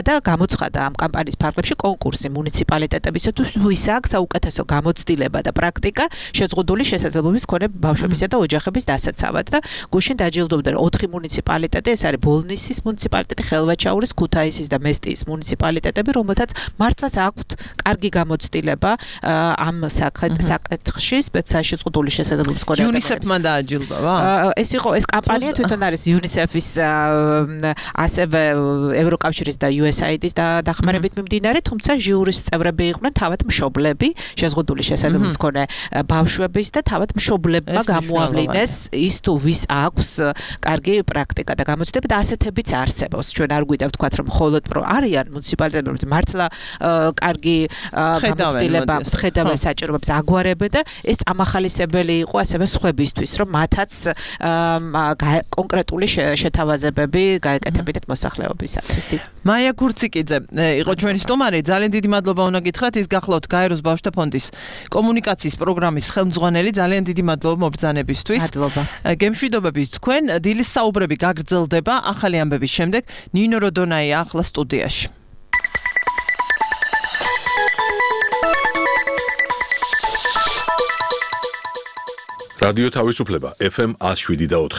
და გამოცხადა ამ კამპანიის ფარგლებში კონკურსი მუნიციპალიტეტებისათვის, ვის აქვს საუკეთესო გამოცდილება და პრაქტიკა შეზღუდული შესაძლებლობის მქონე ბავშვებისა და ოჯახების დასაცავად და გუშინ დაჯილდოვდნენ ოთხი მუნიციპალიტეტი, ეს არის ბოლნისის მუნიციპალიტეტი, ხელვაჩაურის, ქუთაისის და მესტიის მუნიციპალიტეტები, რომელთაც მართლაც აქვთ კარგი გამოცდილება ამ საკითხში, სპეციალიზებული შესაძლებლობის მქონე ადამიანებს. იუნისეფმა დააჯილდოვა? ეს იყო ეს კამპანია თვითონ არის იუნისეფის ასევე ევროკავშირის და იუ ეს აი დის დახმარებით მიმდინარე, თუმცა ჟიურის წევრები იყვნენ თავად მშობლები შეზღუდული შესაძლებლობის მქონე ბავშვების და თავად მშობლებმა გამოავლინეს ის თუ ვის აქვს კარგი პრაქტიკა და გამოცდილება და ასეთებიც არსებობს. ჩვენ არ გვიდა ვთქვათ რომ მხოლოდ არიან მუნიციპალიტეტები მართლა კარგი გამოცდილება ხედავენ საჭიროებებს აგვარებენ და ეს წამახალისებელი იყო ასევე სხვებისთვის რომ მათაც კონკრეტული შეთავაზებები გაეკეთებინათ მოსახლეობისათვის. მაია გურციკიძე იყო ჩვენი სტუმარი. ძალიან დიდი მადლობა უნდა გითხრათ. ის გახლავთ გაეროს ბავშვთა ფონდის კომუნიკაციის პროგრამის ხელმძღვანელი. ძალიან დიდი მადლობა მობრძანებისთვის. მადლობა. გემშვიდობები თქვენ. დილის საუბრები გაგრძელდება ახალი ამბების შემდეგ. ნინო როდონაია ახლა სტუდიაში. რადიო თავისუფლება ეფ ემ one oh seven და four.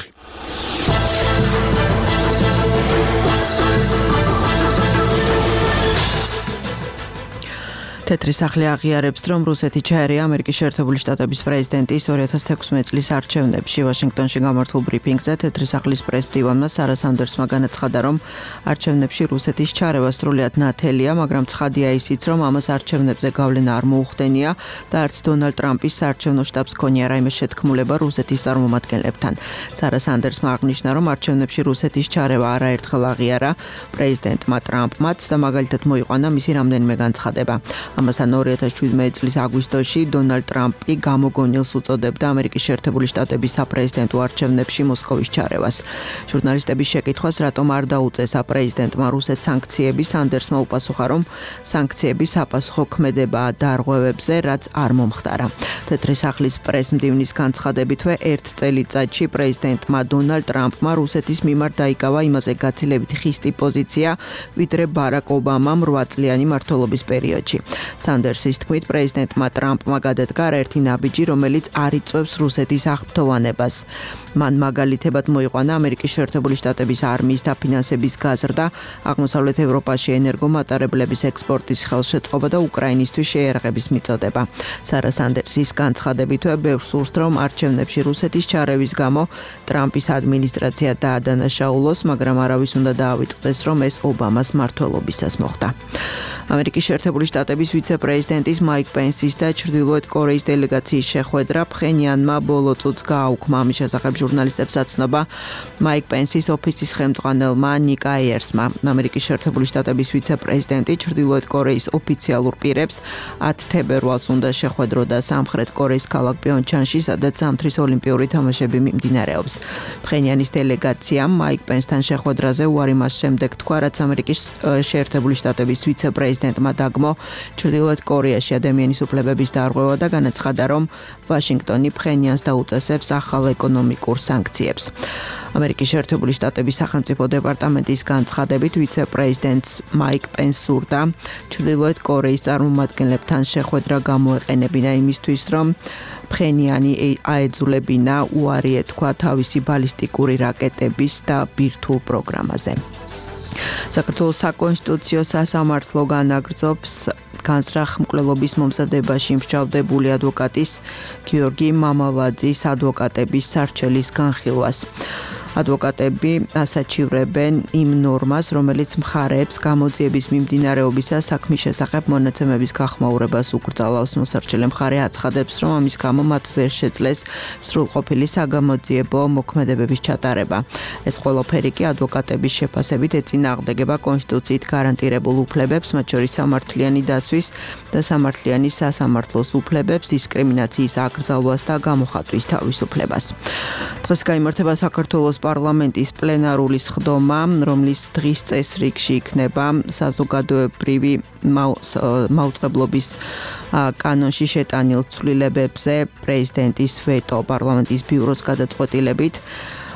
თეთრი სახლი აღიარებს, რომ რუსეთი ჩაერია ამერიკის შეერთებული შტატების პრეზიდენტის two thousand sixteen წლის არჩევნებში. ვაშინგტონში გამართულ ბრიფინგზე თეთრი სახლის პრესმდივანმა სარა სანდერსმა განაცხადა, რომ არჩევნებში რუსეთის ჩარევა სრულიად ნათელია, მაგრამ ცხადია ისიც, რომ ამას არჩევნებზე გავლენა არ მოუხდენია და არც დონალდ ტრამპის საარჩევნო შტაბს ქონია რაიმე შეთქმულება რუსეთის წარმომადგენლებთან. სარა სანდერსმა აღნიშნა, რომ არჩევნებში რუსეთის ჩარევა არაერთხელ აღიარა პრეზიდენტმა ტრამპმაც და მაგალითად მოიყვანა მისი რამდენიმე განცხადება. ამასთან two thousand seventeen წლის აგვისტოში დონალდ ტრამპი გამოგონილს უწოდებდა ამერიკის შეერთებული შტატების საპრეზიდენტო არჩევნებში მოსკოვის ჩარევას. ჟურნალისტების შეკითხვას, რატომ არ დაუწეს საპრეზიდენტმა რუსეთს სანქციები, სანდერსმა უპასუხა, რომ სანქციები საპასუხო ქმედებაა დარღვევებზე, რაც არ მომხდარა. თეთრი სახლის პრესმდივნის განცხადებითვე ერთ წელიწადში პრეზიდენტმა დონალდ ტრამპმა რუსეთის მიმართ დაიკავა იმაზე გაცილებით ხისტი პოზიცია, ვიდრე ბარაკ ობამამ eight წლიანი მმართველობის პერიოდში. სანდერსის თქმით, პრეზიდენტმა ტრამპმა გადადგა ერთი ნაბიჯი, რომელიც არ იწვევს რუსეთის აღფრთოვანებას. მან მაგალითებად მოიყვანა ამერიკის შეერთებული შტატების არმიის დაფინანსების გაზრდა, აღმოსავლეთ ევროპაში ენერგომატარებლების ექსპორტის ხელშეწყობა და უკრაინისთვის შეიარაღების მიწოდება. სარა სანდერსის განცხადებითვე ბევრს სურს, რომ არჩევნებში რუსეთის ჩარევის გამო ტრამპის ადმინისტრაცია დაადანაშაულოს, მაგრამ არავის უნდა დაავიწყდეს, რომ ეს ობამას მმართველობისას მოხდა. ამერიკის შეერთებული შტატების ვიცე-პრეზიდენტის მაიკ პენსის და ჩრდილოეთ კორეის დელეგაციის შეხვედრა ფხენიანმა ბოლო წუთს გააუქმა. ამის შესახებ ჟურნალისტებს აცნობა მაიკ პენსის ოფისის ხელმძღვანელმა ნიკ აიერსმა. ამერიკის შეერთებული შტატების ვიცე-პრეზიდენტი ჩრდილოეთ კორეის ოფიციალურ პირებს ten თებერვალს უნდა შეხვედროდა სამხრეთ კორეის ქალაქ პიონჩანში, სადაც ზამთრის ოლიმპიური თამაშები მიმდინარეობს. ფხენიანის დელეგაციამ მაიკ პენსთან შეხვედრაზე უარი მას შემდეგ თქვა, რაც ამერიკის შეერთებული შტატების ვიცე-პრეზიდენტმა დაგმო ჩრდილოეთ კორეაში ადამიანის უფლებების დარღვევა და განაცხადა, რომ ვაშინგტონი ფხენიანს დაუწესებს ახალ ეკონომიკურ სანქციებს. ამერიკის შეერთებული შტატების სახელმწიფო დეპარტამენტის განცხადებით ვიცე-პრეზიდენტს მაიკ პენს სურდა ჩრდილოეთ კორეის წარმომადგენლებთან შეხვედრა გამოეყენებინა იმისთვის, რომ ფხენიანი აეძულებინა უარი ეთქვა თავისი ბალისტიკური რაკეტების და ბირთვულ პროგრამაზე. საქართველოს საკონსტიტუციო სასამართლო განაგრძობს განსრახ მკვლელობის მომზადებაში მსჯავრდებული ადვოკატის გიორგი მამალაძის ადვოკატების სარჩელის განხილვას. ადვოკატები ასაჩივრებენ იმ ნორმას, რომელიც მხარეებს გამოძიების მიმდინარეობისას საქმის შესახებ მონაცემების გახმაურებას უკრძალავს. მოსარჩელე მხარე აცხადებს, რომ ამის გამო მათ ვერ შეძლეს სრულყოფილი საგამოძიებო მოქმედებების ჩატარება. ეს ყველაფერი კი ადვოკატების შეფასებით ეწინააღმდეგება კონსტიტუციით გარანტირებულ უფლებებს, მათ შორის სამართლიანი დაცვის და სამართლიანი სასამართლოს უფლებებს, დისკრიმინაციის აკრძალვას და გამოხატვის თავისუფლებას. დღეს გაიმართება საქართველოს პარლამენტის პლენარული სხდომა, რომლის დღის წესრიგში იქნება საზოგადოებრივი მაუწყებლობის კანონში შეტანილ ცვლილებებზე პრეზიდენტის ვეტო. პარლამენტის ბიუროს გადაწყვეტილებით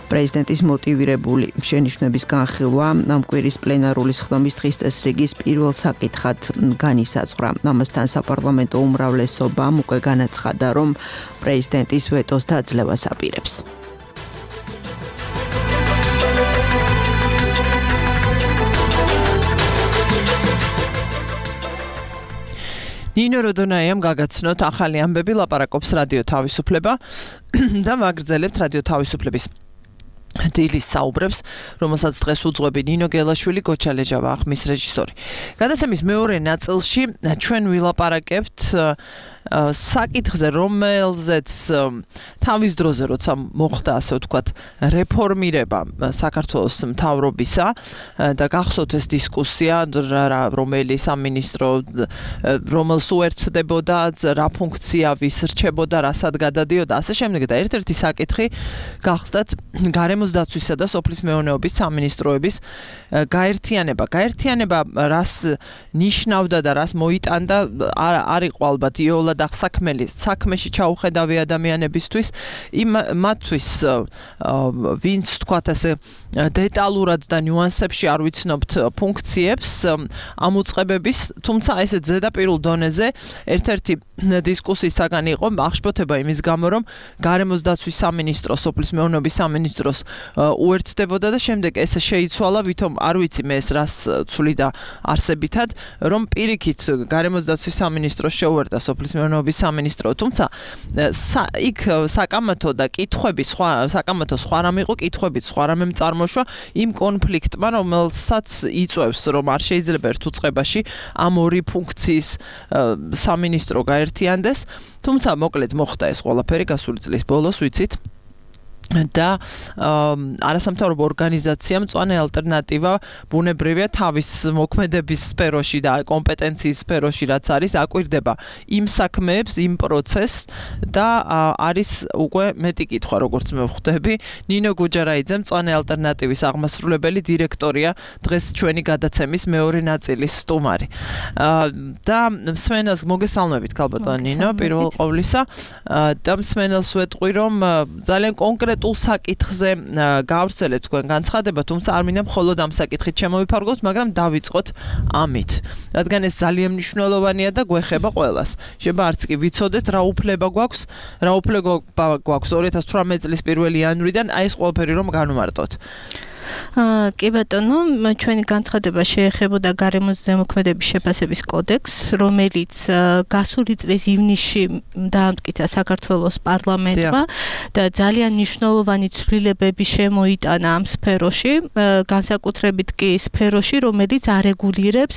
პრეზიდენტის მოტივირებული შენიშვნების განხილვა ამ კვირის პლენარული სხდომის დღის წესრიგის პირველ საკითხად განისაზღვრა. ამასთან საპარლამენტო უმრავლესობამ უკვე განაცხადა, რომ პრეზიდენტის ვეტოს დაძლევას აპირებს. ნინო როდონაიამ გაგაცნოთ ახალი ამბები, ლაპარაკობს რადიო თავისუფლება და ვაგრძელებთ რადიო თავისუფლების დილის საუბრებს, რომელსაც დღეს უძღვები ნინო გელაშვილი, გოჩა ლეჟავა, ხმის რეჟისორი. გადაცემის მეორე ნაწილში ჩვენ ვილაპარაკებთ საკითხზე, რომელზეც თავის დროზე, როცა მოხდა, ასე ვთქვათ, რეფორმირება საქართველოს მთავრობისა და გახსოვთ ეს დისკუსია, რომელი სამინისტრო რომელს უერთდებოდა, რა ფუნქცია ვის რჩებოდა, რასად გადადიოდა, ასე შემდეგ და ერთ-ერთი საკითხი გახდათ გარემოს დაცვისა და სოფლის მეურნეობის სამინისტროების გაერთიანება. გაერთიანება რას ნიშნავდა და რას მოიტანდა, არ იყო ალბათ იოლად ახსაქმელი საქმეში ჩაუხედავი ადამიანებისთვის, იმ მათთვის ვინც თქვათ ასე დეტალურად და ნიუანსებში არ ვიცნობთ ფუნქციებს ამოწყებების, თუმცა ესე ზედაპირულ დონეზე ერთ-ერთი დისკუსიის საგანი იყო აღშფოთება იმის გამო, რომ გარემოს დაცვის სამინისტრო სოფლის მეურნეობის სამინისტროს უერთდებოდა და შემდეგ ესე შეიცვალა, ვითომ არ ვიცი მე ეს რას ცვლიდა არსებითად, რომ პირიქით გარემოს დაცვის სამინისტრო შეუერთდა სოფლის მეურნეობის სამინისტრო, თუმცა იქ საკამათო და კითხვები სხვა საკამათო სხვა რამ იყო, კითხვებით სხვა რამემ წარმოშვა იმ კონფლიქტმა, რომელსაც იწვევს, რომ არ შეიძლება ერთ უწყებაში ამ ორი ფუნქციის სამინისტრო გაერთიანდეს, თუმცა მოკლედ მოხდა ეს ყველაფერი გასული წლის ბოლოს, ვიცით. და არასამთავრობო ორგანიზაციამ მწვანე ალტერნატივა ბუნებრივია თავის მოქმედების სფეროში და კომპეტენციის სფეროში რაც არის აკვირდება იმ საქმეებს, იმ პროცესს და არის უკვე მეტი კითხვა, როგორც მე ვხვდები. ნინო გუჯარაიძე მწვანე ალტერნატივის აღმასრულებელი დირექტორია, დღეს ჩვენი გადაცემის მეორე ნაწილის სტუმარი. და მსმენელს მოგესალმებით ქალბატონო ნინო, პირველ ყოვლისა და მსმენელს ვეტყვი, რომ ძალიან კონკრეტ თუ საკითხზე გავვრცელეთ თქვენ განცხადება, თუმცა არ მინდა მხოლოდ ამ საკითხით შემოვიფარგლოთ, მაგრამ დავიწყოთ ამით. რადგან ეს ძალიან მნიშვნელოვანია და გვეხება ყველას. შეიძლება არც კი ვიცოდეთ რა უფლება გვაქვს, რა უფლება გვაქვს ორი ათას თვრამეტი წლის პირველი იანვრიდან, აი ეს ყველაფერი რომ განვარტოთ. კი ბატონო, ჩვენი განცხადება შეეხებოდა გარემოს ზემოქმედების შეფასების კოდექსს, რომელიც გასული წლის ივნისში დაამტკიცა საქართველოს პარლამენტმა და ძალიან მნიშვნელოვანი ცვლილებები შემოიტანა ამ სფეროში, განსაკუთრებით კი სფეროში, რომელიც არეგულირებს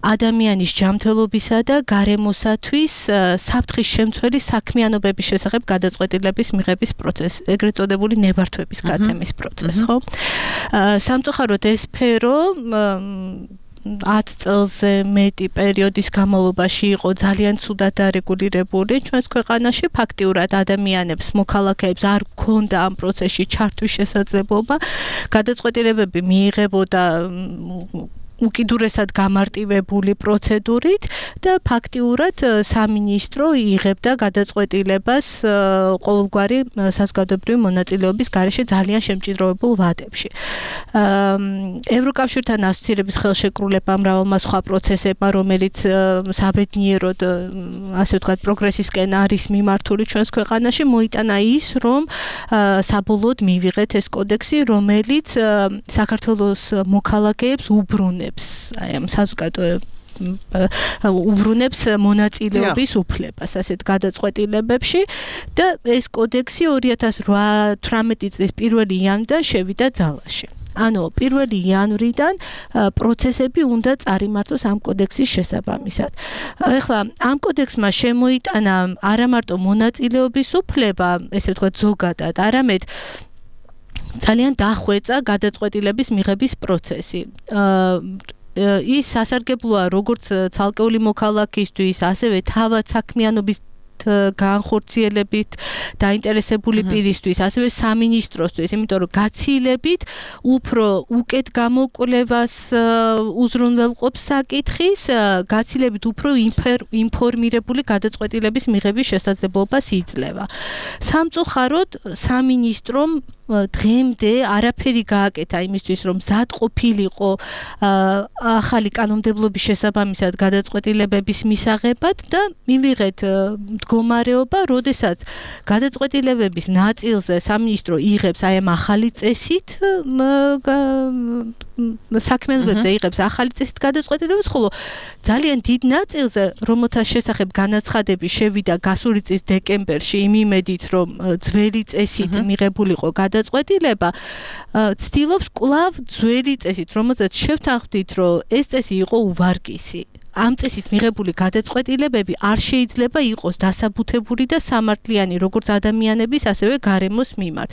ადამიანის ჯანმრთელობისა და გარემოსათვის საფრთხის შემცველი საქმიანობების შესახებ გადაწყვეტილების მიღების პროცესს, ეგრეთ წოდებული ნებართვების გაცემის პროცესს, ხო? სამწუხაროდ ეს სფერო ათ წელზე მეტი პერიოდის განმავლობაში იყო ძალიან ცუდად დარეგულირებული ჩვენს ქვეყანაში. ფაქტიურად ადამიანებს, მოქალაქეებს არ ჰქონდა ამ პროცესში ჩართვის შესაძლებლობა. გადაწყვეტილებები მიიღებოდა უკიდურესად გამარტივებული პროცედურით და ფაქტიურად სამინისტრო იღებდა გადაწყვეტილებას ყოველგვარი საზოგადოებრივი მონაწილეობის გარეშე ძალიან შემჭიდროვებულ ვადებში. ევროკავშირთან ასოცირების ხელშეკრულება მრავალმა სხვა პროცესებმა, რომელიც საბედნიეროდ ასე ვთქვათ პროგრესისკენ არის მიმართული ჩვენს ქვეყანაში, მოიტანა ის, რომ საბოლოოდ მივიღეთ ეს კოდექსი, რომელიც საქართველოს მოქალაქეებს უბრუნებს აი ამ საზოგადოებრივ უბრუნებს მონაწილეობის უფლებას ასეთ გადაწყვეტილებებში და ეს კოდექსი ორი ათას თვრამეტი წლის პირველი იანვრიდან შევიდა ძალაში. ანუ პირველი იანვრიდან პროცესები უნდა წარიმართოს ამ კოდექსის შესაბამისად. ეხლა ამ კოდექსმა შემოიტანა არა მარტო მონაწილეობის უფლება, ესე ვთქვათ ზოგადად, არამედ ძალიან დახვეწა გადაწყვეტილების მიღების პროცესი. ის სასარგებლოა როგორც ცალკეული მოქალაქისთვის, ასევე თავად საქმიანობის განხორციელებით დაინტერესებული პირისთვის, ასევე სამინისტროსთვის, იმიტომ რომ გაცილებით უფრო უკეთ გამოკვლევას უზრუნველყოფს საკითხის, გაცილებით უფრო ინფორმირებული გადაწყვეტილების მიღების შესაძლებლობას იძლევა. სამწუხაროდ სამინისტრომ დღემდე არაფერი გააკეთა იმისთვის, რომ მზად ყოფილიყო ახალი კანონმდებლობის შესაბამისად გადაწყვეტილებების მისაღებად და მივიღეთ მდგომარეობა, როდესაც გადაწყვეტილებების ნაწილზე სამინისტრო იღებს აი ამ ახალი წესით საქმიანობებზე იღებს ახალი წესით გადაწყვეტილებას, ხოლო ძალიან დიდ ნაწილზე, რომელთა შესახებ განაცხადები შევიდა გასული წლის დეკემბერში იმ იმედით, რომ ძველი წესით მიღებულიყო გადაწყვეტილება, ცდილობს კვლავ ძველი წესით, რომელზეც შევთანხმდით, რომ ეს წესი იყო უვარგისი. ამ წესით მიღებული გადაწყვეტილებები არ შეიძლება იყოს დასაბუთებული და სამართლიანი როგორც ადამიანების, ასევე გარემოს მიმართ.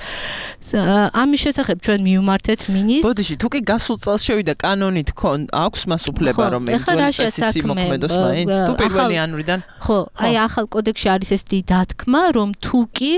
ამის შესახებ ჩვენ მივმართეთ მინისტრს. ბოდიში, თუ კი გასულ წელს შევიდა კანონით, აქვს მას უფლება, რომ ეს წესით იმოქმედოს მაინც, თუ პირველი იანვრიდან. ხო, აი ახალ კოდექსში არის ესეთი დათქმა, რომ თუ კი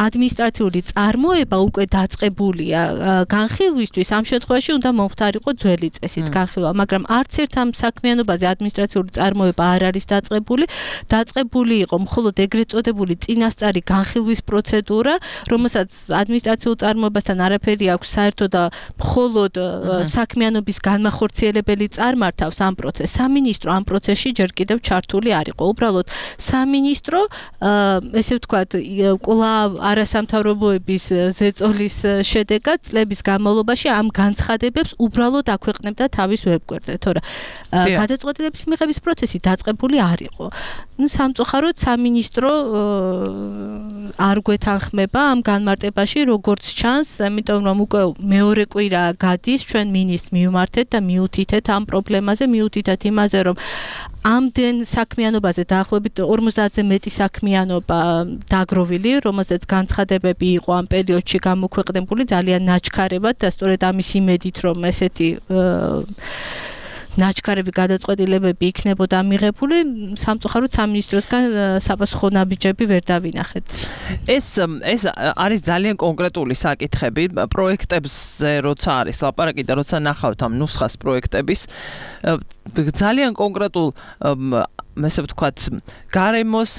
ადმინისტრაციული წარმოება უკვე დაწყებულია განხილვისთვის, ამ შემთხვევაში უნდა მომხდარიყო ძველი წესით განხილვა, მაგრამ არც ერთ ამ საქმიანობაზე ადმინისტრაციული წარმოება არ არის დაწყებული. დაწყებული იყო მხოლოდ ეგრეთ წოდებული წინასწარი განხილვის პროცედურა, რომელსაც ადმინისტრაციულ წარმოებასთან არაფერი აქვს საერთო და მხოლოდ საქმიანობის განმახორციელებელი წარმართავს ამ პროცესს. სამინისტრო ამ პროცესში ჯერ კიდევ ჩართული არ იყო. უბრალოდ სამინისტრო, ესე ვთქვათ, კვლავ არასამთავრობოების ზეწოლის შედეგად წლების განმავლობაში ამ განცხადებებს უბრალოდ აქვეყნებდა თავის ვებგვერდზე, თორე გადაწყვეტილების მიღების პროცესი დაწყებული არ იყო. ნუ სამწუხაროდ სამინისტრო არ გვეთანხმება ამ განმარტებაში, როგორც ჩანს, იმიტომ რომ უკვე მეორე კვირა გადის, ჩვენ მინისტრს მივმართეთ და მიუთითეთ ამ პრობლემაზე, მიუთითეთ იმაზე, რომ ამდენ საქმიანობაზე დაახლოებით ორმოცდაათზე მეტი საქმიანობა დაგროვილი, რომელზეც განცხადებები იყო ამ პერიოდში გამოქვეყნებული ძალიან ნაჩქარებად და სწორედ ამის იმედით, რომ ესეთი ნაჩქარები გადაწყვეტილებები იქნებოდა მიღებული, სამწუხაროდ სამინისტროსგან საპასუხო ნაბიჯები ვერ დავინახეთ. ეს ეს არის ძალიან კონკრეტული საკითხები, პროექტებზე როცა არის ლაპარაკი და როცა ნახავთ ამ ნუსხას პროექტების, ძალიან კონკრეტულ ესე ვთქვათ, გარემოს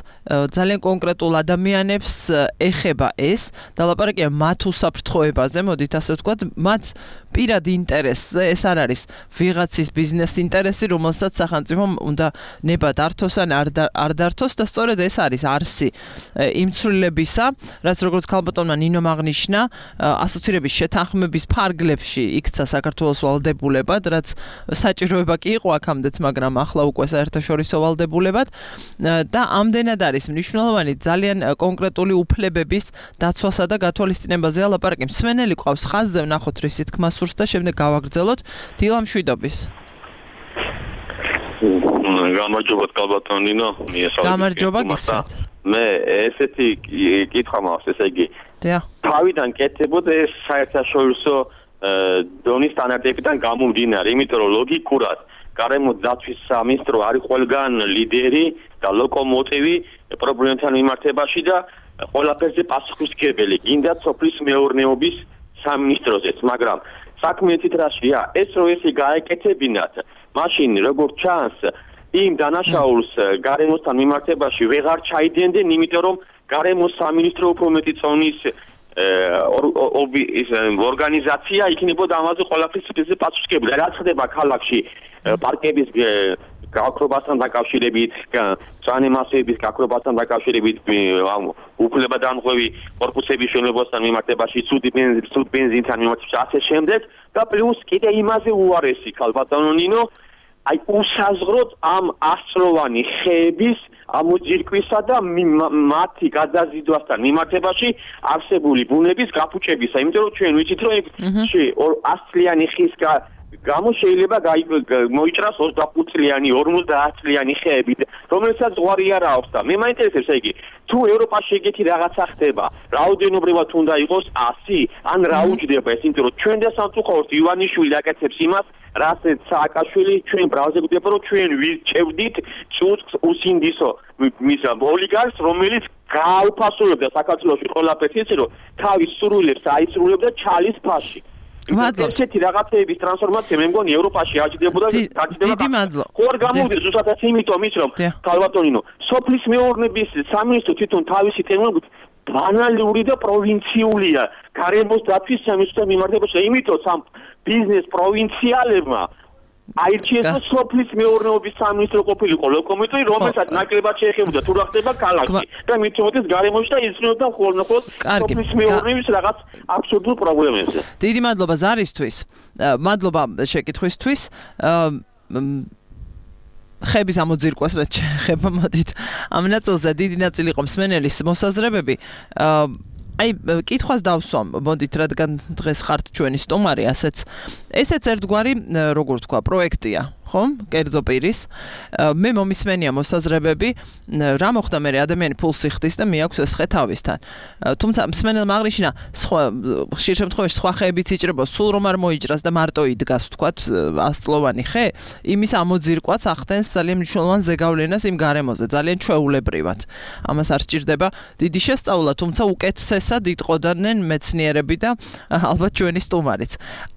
ძალიან კონკრეტულ ადამიანებს ეხება ეს და ლაპარაკია მათ უსაფრთხოებაზე, მოდით ასე ვთქვათ, მათ პირად ინტერესზე, ეს არ არის ვიღაცის ბიზნეს ინტერესი, რომელსაც სახელმწიფომ უნდა ნება დართოს ან არ დართოს და სწორედ ეს არის არსი იმ ცვლილებისა, რაც როგორც ქალბატონმა ნინომ აღნიშნა, ასოცირების შეთანხმების ფარგლებში იქცა საქართველოს ვალდებულებად, რაც საჭიროება კი იყო აქამდეც, მაგრამ ახლა უკვე საერთაშორისო ვალდებულებად და ამდენად არის მნიშვნელოვანი ძალიან კონკრეტული უფლებების დაცვასა და გათვალისწინებაზე ლაპარაკი. მსმენელი ყავს ხაზზე, ვნახოთ რისი თქმა სურს და შემდეგ გავაგრძელოთ. დილა მშვიდობის. გამარჯობა კალბატონინო, მიესალმებით. გამარჯობა გისმენთ. მე ესეთი კითხვა მაქვს, ესე იგი. დიახ. თავიდან კეთებოდა ეს საერთაშორისო დონის სტანდარტებიდან გამომდინარე, იმიტომ რომ ლოგიკურად გარემო დაცვის სამინისტრო არის ყველგან ლიდერი და ლოკომოტივი პრობლემთან მიმართებაში და ყველაფერზე პასუხისმგებელი, გინდათ სოფლის მეურნეობის სამინისტროზეც, მაგრამ საქმე იცით რაშია? ეს რო ესე გაეკეთებინათ, მაშინ როგორც ჩანს, იმ დანაშაულს გარემოსთან მიმართებაში ვეღარ ჩაიდენდნენ, იმიტომ რომ გარემოს სამინისტრო უფრო მეტი წონის ორგანიზაცია იქნებოდა ამაზე ყველაფრის სიძე პასუხისმგებელი. რაც ხდება ქალაქში პარკების გაქრობასთან დაკავშირებით, ძველი მასების გაქრობასთან დაკავშირებით, უფლებადამღები კორპუსების მშენებლობასთან მიმართებაში, სუდი ბენზინთან მიმართებაში, ასე შემდეგ და პლუს კიდე იმაზე უარესი ქალბატონო ნინო, აი უსაზღროდ ამ ასწლოვანი ხეების ამოძირკვისა და მათი გადაზიდვასთან მიმართებაში არსებული ბუნების გაფუჭებისა, იმიტომ რომ ჩვენ ვიცით რომ ას წლიანი ხის გამო შეიძლება მოიჭრას ოცდახუთ წლიანი, ორმოცდაათ წლიანი ხეები, რომელსაც ზღვარი არ აქვს და მე მაინტერესებს ეგ თუ ევროპაში ეგეთი რაღაცა ხდება, რაოდენობრივად უნდა იყოს ასი, ან რა უჯდება ეს, იმიტომ რომ ჩვენ და სამწუხაროდ ივანიშვილი აკეთებს იმას, რასაც სააკაშვილი ჩვენ ბრალზე გვდება, რომ ჩვენ ვირჩევდით წუწს უსინდისო მის ოლიგარქს, რომელიც გააუფასურებდა საქართველოში ყველაფერს, ისე რომ თავის სურვილებს აისრულებდა ჩალის ფაში. მადლობა. ესეთი რაღაცეების ტრანსფორმაცია მე მგონი ევროპაში აჭირდებოდა და გაჭირდება. დიდი მადლობა. ხო არ გამოვიდეს ზუსტად იმიტომ ის რომ ქალბატონინო, სოფლის მეურნეობის სამინისტრო თვითონ თავისი ტერმინологიით ბანალური და პროვინციულია. გარემოს დაცვის სამინისტროს მიმართებაში, იმიტომ სამ ბიზნეს პროვინციალებმა აირჩიეს და სოფლის მეურნეობის სამინისტრო ყოფილიყო ლოკომიტრი, რომელსაც ნაკლებად შეეხებოდა თუ რა ხდება ქალაქში და მით უმეტეს გარემოში და იზრუნებდა ხოლმე სოფლის მეურნეობის რაღაც აბსურდულ პრობლემებზე. დიდი მადლობა ზარისთვის. მადლობა შეკითხვისთვის. ხების ამოძირკვას რაც ხება მოდით. ამ ნაწილზე დიდი ნაწილი იყო მსმენელის მოსაზრებები. აი, კითხვას დავსვამ, მოდით, რადგან დღეს ხართ ჩვენი სტუმარი, ასეც ესეც ერთგვარი, როგორ თქვა, პროექტია, ხო? კერძო პირის. მე მომისმენია მოსაზრებები, რა მოხდა მე ადამიანი ფულს იხდის და მიაქვს ეს ხე თავისთან. თუმცა მსმენელმა აღნიშნა, სხვა ხშირ შემთხვევაში სხვა ხეებიც იჭრება, სულ რომ არ მოიჭრას და მარტო იდგას, ვთქვათ, ასწლოვანი ხე, იმის ამოძირკვაც ახდენს ძალიან მნიშვნელოვან ზეგავლენას იმ გარემოზე, ძალიან ჩვეულებრივად. ამას არ სჭირდება დიდი შესწავლა, თუმცა უკეთესად იტყოდნენ მეცნიერები და ალბათ ჩვენი სტუმარიც.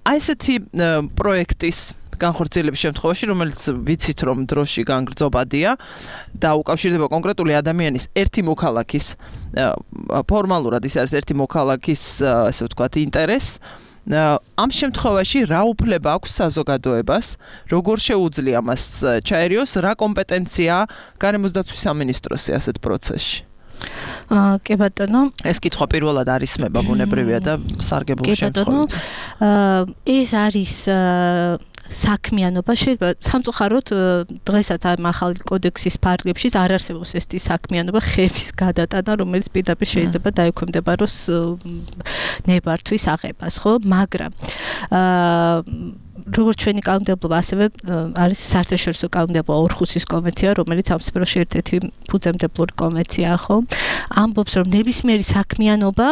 აი ესეთი პროექტის განხორციელების შემთხვევაში, რომელიც ვიცით რომ დროში განგრძობადია და უკავშირდება კონკრეტული ადამიანის ერთი მოქალაქის ფორმალურად ის არის ერთი მოქალაქის, ასე ვთქვათ, ინტერესს. ამ შემთხვევაში რა უფლება აქვს საზოგადოებას, როგორ შეუძლია მას ჩაერიოს, რა კომპეტენციაა გარემოს დაცვის სამინისტროსი ასეთ პროცესში? აა კი ბატონო, ეს კითხვა პირველად არისმება ბუნებრივია და სარგებულ შემთხვევაში. აა ეს არის საქმიანობა, შეიძლება სამწუხაროდ დღესაც ამ ახალი კოდექსის ფარგლებში არ არსებობს ესეთი საქმიანობა ხეების გადატანა, რომელიც პირდაპირ შეიძლება დაექვემდებაროს ნებართვის აღებას, ხო? მაგრამ აა როგორც ჩვენი კანონმდებლობა, ასევე არის საერთაშორისო კანონმდებლობა ორხუსის კონვენცია, რომელიც ამ სფეროში ერთ-ერთი ფუძემდებლური კონვენციაა, ხო? ამბობს, რომ ნებისმიერი საქმიანობა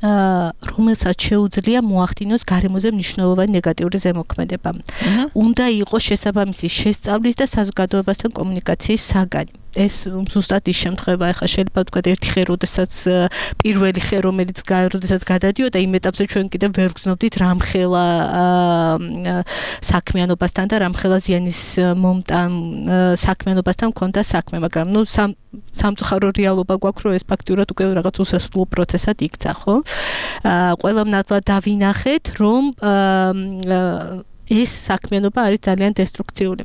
რომელსაც შეუძლია მოახდინოს გარემოზე მნიშვნელოვანი ნეგატიური ზემოქმედება. უნდა იყოს შესაბამისი შესწავლის და საზოგადოებასთან კომუნიკაციის საგანი. ეს ზუსტად ის შემთხვევა, ახლა შეიძლება ვთქვათ, ერთი ხე, როდესაც პირველი ხე, რომელიც როდესაც გადადიოდა, იმ ეტაპზე ჩვენ კიდევ ვერ ვგრძნობდით რამხელა საქმიანობასთან და რამხელა ზიანის მომტან საქმიანობასთან მქონდა საქმე, მაგრამ ნუ სამწუხარო რეალობა გვაქვს, რომ ეს ფაქტიურად უკვე რაღაც უსასრულო პროცესად იქცა, ხო? ყველამ ნათლად დავინახეთ, რომ ეს საქმიანობა არის ძალიან დესტრუქციული.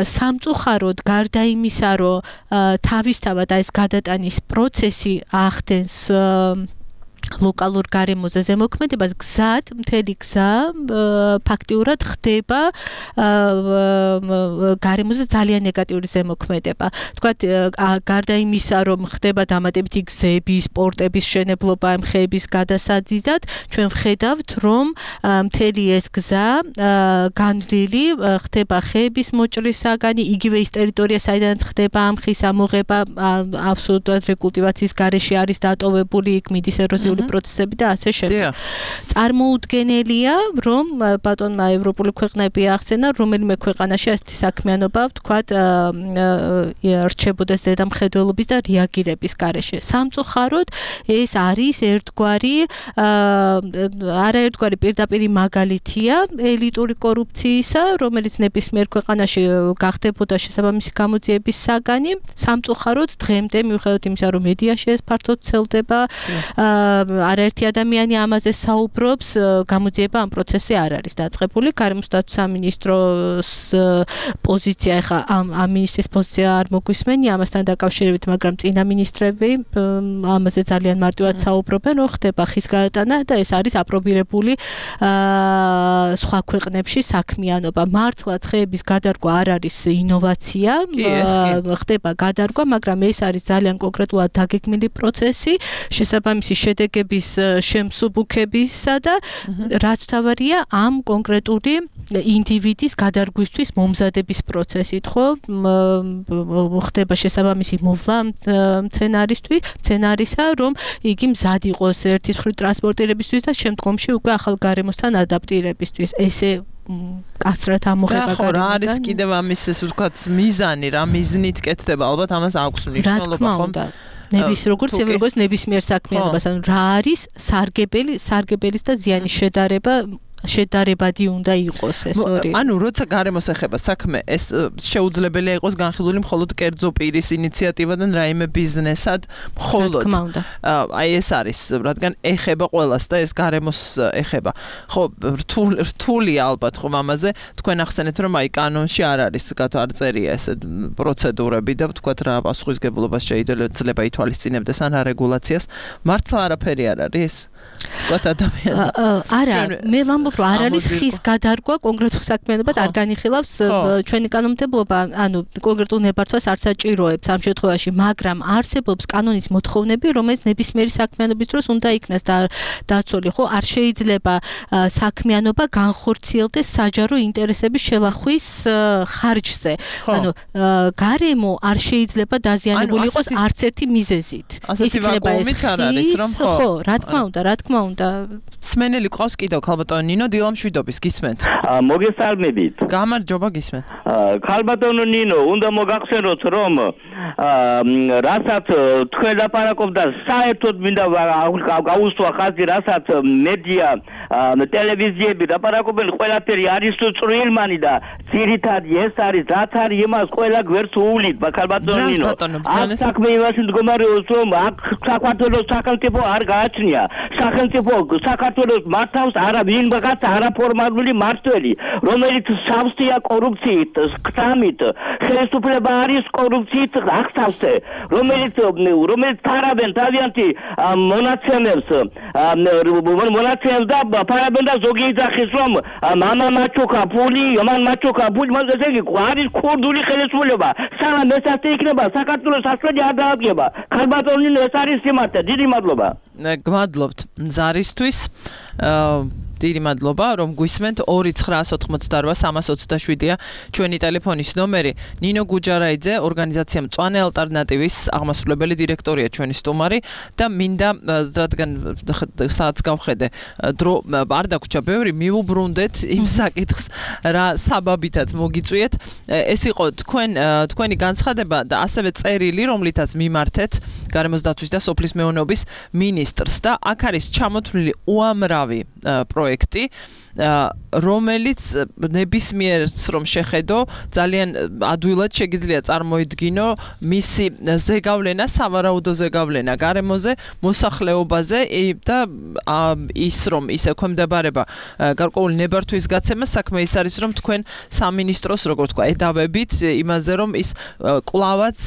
სამწუხაროდ გარდა იმისა, რომ თავისთავად ეს გადატანის პროცესი ახდენს ლოკალურ გარემოზე ზემოქმედებას, გზად, მთელი გზა ფაქტიურად ხდება გარემოზე ძალიან ნეგატიური ზემოქმედება. თქვათ, გარდა იმისა, რომ ხდება დამატებითი გზების, სპორტების მშენებლობა ამ ხეების გადასაზიდად, ჩვენ ვხედავთ, რომ მთელი ეს გზა განვლილი ხდება ხეების მოჭრის საგანი, იგივე ის ტერიტორია, საიდანაც ხდება ამ ხის ამოღება, აბსოლუტურად რეკულტივაციის გარეშე არის დატოვებული, იქ მიდის ეროზიული ადმინისტრაციული პროცესები და ასე შემდეგ. წარმოუდგენელია, რომ ბატონმა ევროპული ქვეყნები ახსენა, რომელიმე ქვეყანაში ასეთი საქმიანობა, ვთქვათ, რჩებოდეს ზედამხედველობის და რეაგირების გარეშე. სამწუხაროდ ეს არის ერთგვარი არაერთგვარი პირდაპირი მაგალითია ელიტური კორუფციისა, რომელიც ნებისმიერ ქვეყანაში გახდებოდა შესაბამისი გამოძიების საგანი. სამწუხაროდ დღემდე მიუხედავად იმისა, რომ მედიაში ეს ფართოდ ვრცელდება, არაერთი ადამიანი ამაზე საუბრობს, გამოძიება ამ პროცესზე არ არის დაწყებული. გარემოს დაცვის სამინისტროს პოზიცია ეხა ამ ამ მინისტრის პოზიცია არ მოგვისმენია ამასთან დაკავშირებით, მაგრამ წინა მინისტრები ამაზე ძალიან მარტივად საუბრობენ, რომ ხდება ხის გაეტანა და ეს არის აპრობირებული სხვა ქვეყნებში საქმიანობა. მართლა ცხეების გადარგვა არ არის ინოვაცია, ხდება გადარგვა, მაგრამ ეს არის ძალიან კონკრეტულად დაგეგმილი პროცესი, შესაბამისი შედეგების შემსუბუქებისა და რაც მთავარია ამ კონკრეტული ინდივიდის გადარგვისთვის მომზადების პროცესით, ხო? ხდება შესაბამისი მოვლა მცენარისთვის, მცენარისა, რომ იგი მზად იყოს ერთის მხრივ ტრანსპორტირებისთვის და შემდგომში უკვე ახალ გარემოსთან ადაპტირებისთვის. ესე კაცრად ამოღება გარემოდან. რა არის კიდევ ამის ეს ვთქვათ მიზანი, რა მიზნით კეთდება? ალბათ ამას აქვს მნიშვნელობა, ხომ? ნების როგორც როგორც ნებისმიერ საქმიანობას, ანუ რა არის სარგებელი, სარგებელის და ზიანის შედარება შედარებადი უნდა იყოს ეს ორი. ანუ როცა გარემოს ეხება საქმე, ეს შეუძლებელია იყოს განხილული მხოლოდ კერძო პირის ინიციატივიდან რაიმე ბიზნესად, მხოლოდ. აი ეს არის, რადგან ეხება ყველას და ეს გარემოს ეხება. ხო, რთულია ალბათ ხომ ამაზე, თქვენ ახსენეთ, რომ აი კანონში არ არის, გათო არ წერია ეს პროცედურები და ვთქვათ რა პასუხისგებლობას შეიძლება ითვალისწინებდეს ან რეგულაციას. მართლა არაფერი არ არის? ვთქვათ ადამიანს. არა, მე ვამბობ რომ არ არის ხის გადარგვა კონკრეტულ საქმიანობად არ განიხილავს ჩვენი კანონმდებლობა, ანუ კონკრეტულ ნებართვას არ საჭიროებს ამ შემთხვევაში, მაგრამ არსებობს კანონის მოთხოვნები, რომელიც ნებისმიერი საქმიანობის დროს უნდა იქნას დაცული, ხო? არ შეიძლება საქმიანობა განხორციელდეს საჯარო ინტერესების შელახვის ხარჯზე. ანუ გარემო არ შეიძლება დაზიანებული იყოს არც ერთი მიზეზით. ის იქნება ეს ხო, რა თქმა უნდა, რა თქმა უნდა. სმენელი ყავს კიდევ ქალბატონო ნინო დილამშვიდობის გისმენთ. მოგესალმებით. გამარჯობა გისმენთ. ქალბატონო ნინო, უნდა მოგახსენოთ, რომ რასაც თქვენ ლაპარაკობდა, საერთოდ მინდა გაუსვა ხაზი, რასაც მედია, ტელევიზიები ლაპარაკობენ, ყველაფერი არის წვრილმანი და ძირითადი ეს არის, რაც არის იმას ყველა გვერდს უვლით, ქალბატონო ნინო. აქ საქმე იმაში მდგომარეობს, რომ აქ საქართველოს სახელმწიფო არ გააჩნია. სახელმწიფო საქართველოს მართავს არა ვინმაგაც არაფორმალური მმართველი, რომელიც სავსეა კორუფციით, ხსამით, ხელისუფლება არის კორუფციით აღსავსე, რომელიც რომელიც თარავენ თავიანთი მონაცემებს, მონაცემს და ფარაბენ და ზოგი იძახის, რომ მამა მაჩოკა ფული, მან მაჩოკა ფული, მას ესე იგი არის ქურდული ხელისუფლება. სანამ ეს ასე იქნება, საქართველოს საშველი არ დაადგება. ქალბატონო ნინო, ეს არის სიმართლე. დიდი მადლობა. გმადლობთ ზარისთვის. დიდი მადლობა რომ გვისმენთ. ორი ცხრა ოთხმოცდაოთხ სამას ოცდაშვიდია ჩვენი ტელეფონის ნომერი. ნინო გუჯარაიძე, ორგანიზაცია მწვანე ალტერნატივის აღმასრულებელი დირექტორია ჩვენი სტუმარი და მინდა რადგან საათს გავხედე დრო არ დაგვრჩა ბევრი, მივუბრუნდეთ იმ საკითხს რა საბაბითაც მოგიწვიეთ. ეს იყო თქვენ თქვენი განცხადება და ასევე წერილი, რომლითაც მიმართეთ გარემოს დაცვის და სოფლის მეურნეობის მინისტრს და აქ არის ჩამოთვლილი უამრავი პროექტი, რომელიც ნებისმიერს რომ შეხედო, ძალიან ადვილად შეგიძლია წარმოიდგინო მისი ზეგავლენა, სავარაუდო ზეგავლენა გარემოზე, მოსახლეობაზე და ის რომ ის ექვემდებარება გარკვეული ნებართვის გაცემა, საქმე ის არის რომ თქვენ სამინისტროს როგორ თქვა ედავებით იმაზე რომ ის კლავაც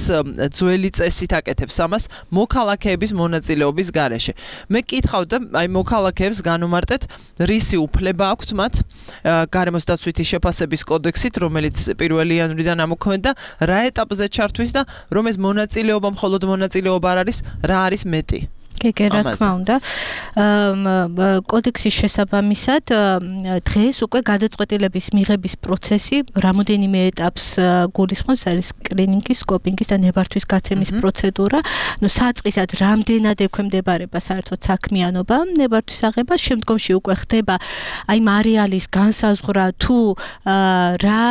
ძველი წესით აკეთებს ამას მოქალაქეების მონაწილეობის გარეშე. მე კითხავდა აი მოქალაქეებს განუმარტეთ რისი უფლება აქვთ მათ გარემოს დაცვითი შეფასების კოდექსით, რომელიც პირველი იანვრიდან ამოქმედა, რა ეტაპზე ჩართვის და რომ ეს მონაწილეობა მხოლოდ მონაწილეობა არ არის, რა არის მეტი. კი, რა თქმა უნდა. კოდექსის შესაბამისად დღეს უკვე გადაწყვეტილების მიღების პროცესი რამოდენიმე ეტაპს გულისხმობს, არის სკრინინგის, სკოპინგის და ნებართვის გაცემის პროცედურა. ნუ საწყისად რამდენად ექვემდებარება საერთოდ საქმიანობა ნებართვის აღებას, შემდგომში უკვე ხდება აი მარეალის განსაზღვრა თუ რა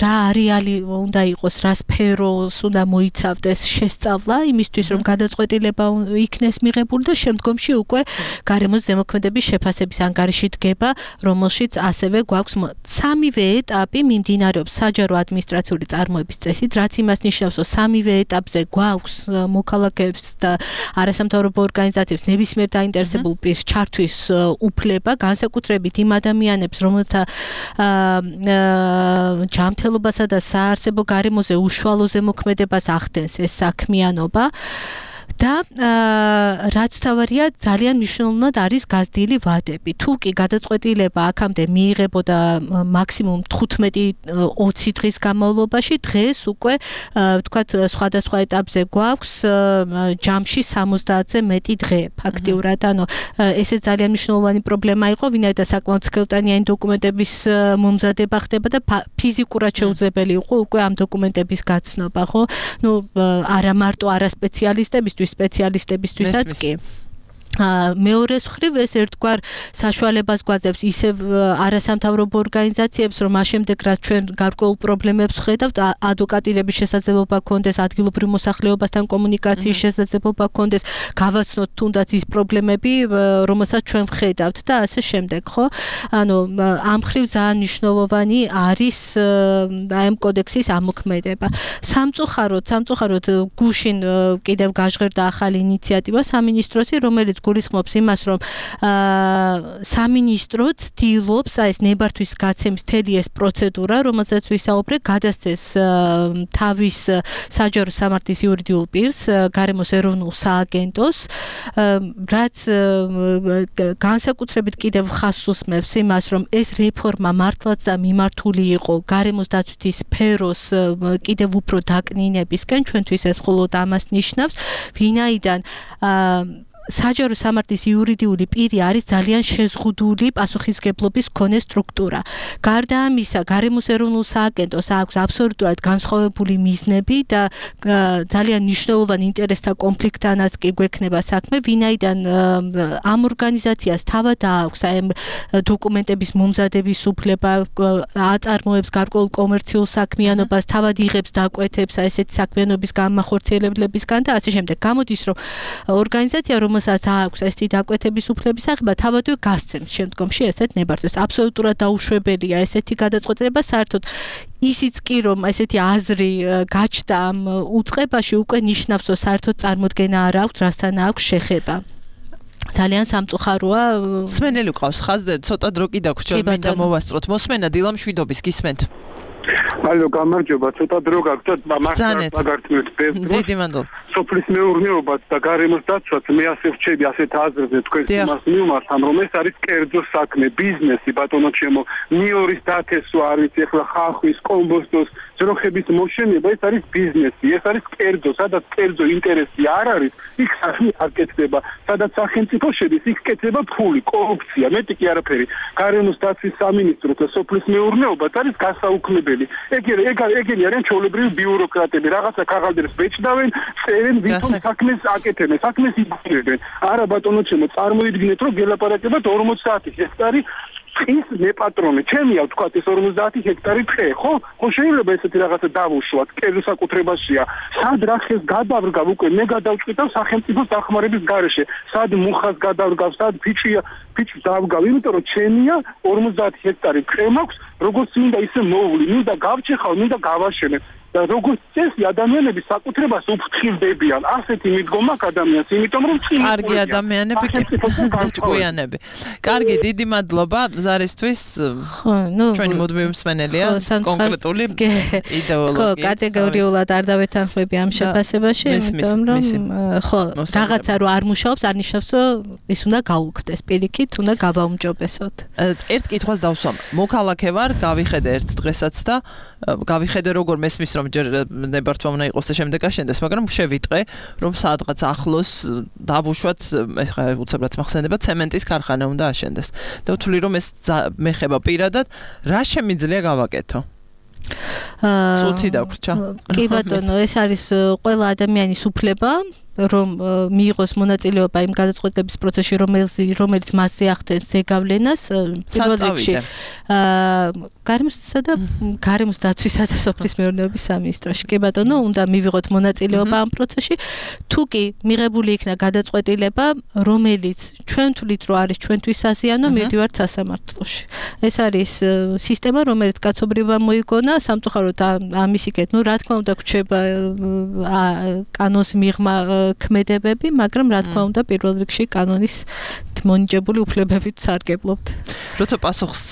რა არეალი უნდა იყოს, რა სფეროს უნდა მოიცავდეს შესწავლა, იმისთვის რომ გადაწყვეტილება იქნეს მიღებული და შემდგომში უკვე გარემოს ზემოქმედების შეფასების ანგარიში დგება, რომელშიც ასევე გვაქვს სამივე ეტაპი მიმდინარეობს საჯარო ადმინისტრაციული წარმოების წესით, რაც იმას ნიშნავს, რომ სამივე ეტაპზე გვაქვს მოქალაქეებს და არასამთავრობო ორგანიზაციებს ნებისმიერ დაინტერესებულ პირს ჩართვის უფლება, განსაკუთრებით იმ ადამიანებს, რომელთა ჯანმრთელობასა და საარსებო გარემოზე უშუალო ზემოქმედებას ახდენს ეს საქმიანობა. და რაც თავარია ძალიან მნიშვნელოვნად არის გაზრდილი ვადები. თუ კი გადაწყვეტილება აქამდე მიიღებოდა მაქსიმუმ თხუთმეტი ოცი დღის განმავლობაში, დღეს უკვე ვთქვათ სხვადასხვა ეტაპზე გვაქვს ჯამში სამოცდაათზე მეტი დღე ფაქტიურად. ანუ ესე ძალიან მნიშვნელოვანი პრობლემა იყო, ვინაიდან საკმაოდ სქელტანიანი დოკუმენტების მომზადება ხდება და ფიზიკურად შეუძლებელი იყო უკვე ამ დოკუმენტების გაცნობა, ხო? ნუ არა მარტო არასპეციალისტებისთვის, სპეციალისტებისთვისაც კი. მეორე მხრივ ეს ერთგვარ საშუალებას გვაძლევს ისევ არასამთავრობო ორგანიზაციებს, რომ ამ შემდეგ რაც ჩვენ გარკვეულ პრობლემებს ხედავთ, ადვოკატირების შესაძლებლობა გქონდეს, ადგილობრივ მოსახლეობასთან კომუნიკაციის შესაძლებლობა გქონდეს, გავაცნოთ თუნდაც ის პრობლემები, რომელსაც ჩვენ ვხედავთ და ასე შემდეგ, ხო? ანუ ამ მხრივ ძალიან მნიშვნელოვანი არის აი ამ კოდექსის ამოქმედება. სამწუხაროდ, სამწუხაროდ გუშინ კიდევ გაჟღერდა ახალი ინიციატივა სამინისტროსი, რომელიც გულისხმობს იმას, რომ სამინისტრო ცდილობს აი ეს ნებართვის გაცემის მთელი ეს პროცედურა, რომელზეც ვისაუბრე, გადასცეს თავის საჯარო სამართლის იურიდიულ პირს, გარემოს ეროვნულ სააგენტოს, რაც განსაკუთრებით კიდევ ხაზს უსმევს იმას, რომ ეს რეფორმა მართლაც და მიმართული იყო გარემოს დაცვითი სფეროს კიდევ უფრო დაკნინებისკენ, ჩვენთვის ეს მხოლოდ ამას ნიშნავს, ვინაიდან საჯარო სამართლის იურიდიული პირი არის ძალიან შეზღუდული პასუხისგებლობის მქონე სტრუქტურა. გარდა ამისა, გარემოს ეროვნულ სააგენტოს აქვს აბსოლუტურად განსხვავებული მიზნები და ძალიან მნიშვნელოვანი ინტერესთა კონფლიქტანაც კი გვექნება საქმე, ვინაიდან ამ ორგანიზაციას თავად აქვს აი ამ დოკუმენტების მომზადების უფლება, აწარმოებს გარკვეულ კომერციულ საქმიანობას, თავად იღებს დაკვეთებს აი ესეთი საქმიანობის განმახორციელებლებისგან და ასე შემდეგ. გამოდის, რომ ორგანიზაცია რომელსაც აქვს ესეთი დაკვეთების უფლების აღება, თავადვე გასცემს შემდგომში ესეთ ნებართვას. აბსოლუტურად დაუშვებელია ესეთი გადაწყვეტილება, საერთოდ ისიც კი რომ ესეთი აზრი გაჩნდა ამ უწყებაში, უკვე ნიშნავს, რომ საერთოდ წარმოდგენა არ აქვს, რასთან აქვს შეხება. ძალიან სამწუხაროა. მსმენელი ყავს ხაზზე, ცოტა დრო კი დაგვრჩა, მინდა მოვასწროთ. მოსმენა დილა მშვიდობის, გისმენთ. ალო, გამარჯობა, ცოტა დრო გაგვცეთ, მაგრამ მაგართმევთ ბევრ დროს. დიდი მადლობა. სოფლის მეურნეობაც და გარემოს დაცვაც მე ასე ვჩები ასეთ აზრზე თქვენ იმას მიმართავ, რომ ეს არის კერძო საქმე, ბიზნესი, ბატონო ჩემო, ნიორის დათესვა არის ეხლა ხახვის, კომბოსტოს, ძროხების მოშენება, ეს არის ბიზნესი, ეს არის კერძო, სადაც კერძო ინტერესი არ არის, იქ საქმე არ კეთდება, სადაც სახელმწიფო შედის, იქ კეთდება ფული, კორუფცია, მეტი კი არაფერი. გარემოს დაცვის სამინისტრო და სოფლის მეურნეობაც არის გასაუქმებელი. ეგ ეგენი არიან ჩვეულებრივი ბიუროკრატები, რაღაცა ქაღალდებს ბეჭდავენ, წერენ, ვითომ საქმეს აკეთებენ, საქმეს იბრძვიან. არა ბატონო ჩემო, წარმოიდგინეთ, რომ გელაპარაკებათ ორმოცდაათი ჰექტარი ტყის მეპატრონე. ჩემია ვთქვათ ეს ორმოცდაათი ჰექტარი ტყე, ხო? ხო შეიძლება ესეთი რაღაცა დავუშვათ, კერძო საკუთრებაშია. სად რახეს გადავრგავ უკვე მე გადავჭყიდავ სახელმწიფოს დახმარების გარეშე. სად მუხას გადავრგავ, სად ფიჭია, ფიჭს დავგავ, იმიტომ რომ ჩემია ორმოცდაათი ჰექტარი ტყე მაქვს, როგორც მინდა ისე მოვლი, მინდა გავჭეხავ, მინდა გავაშენებ. და როგორც წესი ადამიანები საკუთრებას უფრთხილდებიან. ასეთი მიდგომა აქვს ადამიანს, იმიტომ რომ წინ კარგი ადამიანები ჭკვიანები. კარგი, დიდი მადლობა ზარისთვის. ჩვენი მუდმივი მსმენელია, კონკრეტული იდეოლოგია. ხო, კატეგორიულად არ დავეთანხმები ამ შეფასებაში, იმიტომ რომ ხო, რაღაცა რო არ მუშაობს, არ ნიშნავს, რომ ის უნდა გაუქმდეს, პირიქით უნდა გავაუმჯობესოთ. ერთ კითხვას დავსვამ. მოქალაქე ვარ, გავიხედე ერთ დღესაც და გავიხედე როგორ მესმის რომ ჯერ ნებართვა უნდა იყოს და შემდეგ აშენდეს, მაგრამ შევიტყე, რომ სადღაც ახლოს დავუშვათ, ეხლა უცებრად მახსენდება, ცემენტის ქარხანა უნდა აშენდეს. და ვთვლი, რომ ეს მეხება პირადად, რა შემიძლია გავაკეთო? წუთი დაგვრჩა. კი ბატონო, ეს არის ყველა ადამიანის უფლება, რომ მიიღოს მონაწილეობა იმ გადაწყვეტილების პროცესში, რომელიც რომელიც მასზე ახდენს ზეგავლენას, პირველ რიგში გარემოსა და გარემოს დაცვისა და სოფლის მეურნეობის სამინისტროში. კი ბატონო, უნდა მივიღოთ მონაწილეობა ამ პროცესში. თუ კი მიღებული იქნა გადაწყვეტილება, რომელიც ჩვენ თვლით, რომ არის ჩვენთვის საზიანო, მივდივართ სასამართლოში. ეს არის სისტემა, რომელიც კაცობრიობა მოიგონა, სამწუხაროდ ამის იქეთ, ну, რა თქმა უნდა, გვჩება კანონის მიღმა ქმედებები, მაგრამ რა თქმა უნდა, პირველ რიგში კანონის მონიჭებული უფლებებით სარგებლობთ. როცა პასუხს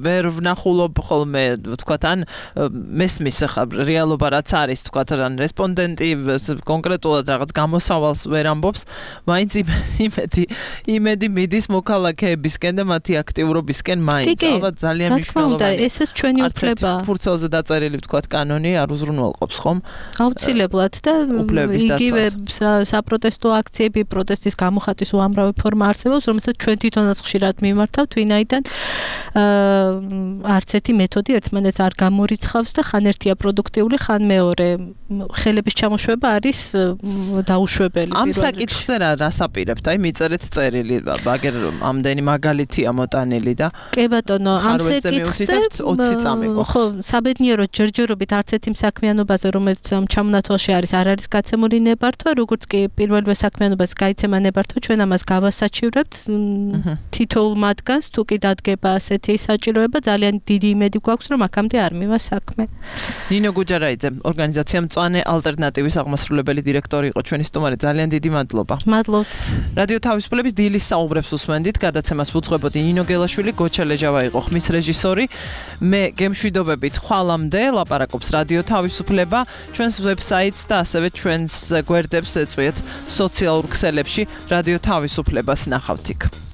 ვერ ვნახულობ ხოლმე, ვთქვათ, ან მესმის ახლა რეალობა რაც არის, ვთქვათ, ან რესპონდენტი კონკრეტულად რაღაც გამოსავალს ვერ ამბობს, მაინც იმედი იმედი მიდის მოქალაქეებისკენ და მათი აქტიურობისკენ მაინც. ალბათ ძალიან მნიშვნელოვანია. ესეც ჩვენი უფლებაა. ფურცელზე დაწერილი, ვთქვათ, კანონი არ უზრუნველყოფს, ხომ? აუცილებლად და იგივე საპროტესტო აქციები, პროტესტის გამოხატვის უამრავი ფორმა არსებობს, რომელსაც ჩვენ თვითონაც ხშირად მიმართავთ, ვინაიდან არც ერთი მეთოდი ერთმანეთს არ გამორიცხავს და ხან ერთია პროდუქტიული, ხან მეორე. ხელების ჩამოშვება არის დაუშვებელი. ამ საკითხზე რა რასაპირებთ? აი მიწერეთ წერილი, აგერ ამდენი მაგალითია მოტანილი და კი ბატონო, ამ საკითხზე ოცი წამი გვაქვს. ხო, საბედნიეროდ ჯერჯერობით არც ერთი საქმიანობაზე, რომელიც ამ ჩამონათვალში არის, არ არის გაცემული ნებართვა, როგორც კი პირველივე საქმიანობას გაიცემა ნებართვა, ჩვენ ამას გავასაჩივრებთ თითოეულ მათგანს, თუ კი დადგება ასეთი საჭიროება, ძალიან დიდი იმედი გვაქვს, რომ აქამდე არ მივა საქმე. ნინო გუჯარაიძე, ორგანიზაცია მწვანე ალტერნატივის აღმასრულებელი დირექტორი იყო ჩვენი სტუმარი, ძალიან დიდი მადლობა. მადლობთ. რადიო თავისუფლების დილის საუბრებს უსმენდით, გადაცემას ვუძღვებოდი ნინო გელაშვილი, გოჩა ლეჟავა იყო ხმის რეჟისორი. მე გემშვიდობებით ხვალამდე ლაპარაკობს რადიო თავისუფლება, ჩვენს ვებსაიტს და ასევე ჩვენს გვერდებს ეწვიეთ სოციალურ ქსელებში, რადიო თავისუფლებას ნახავთ იქ.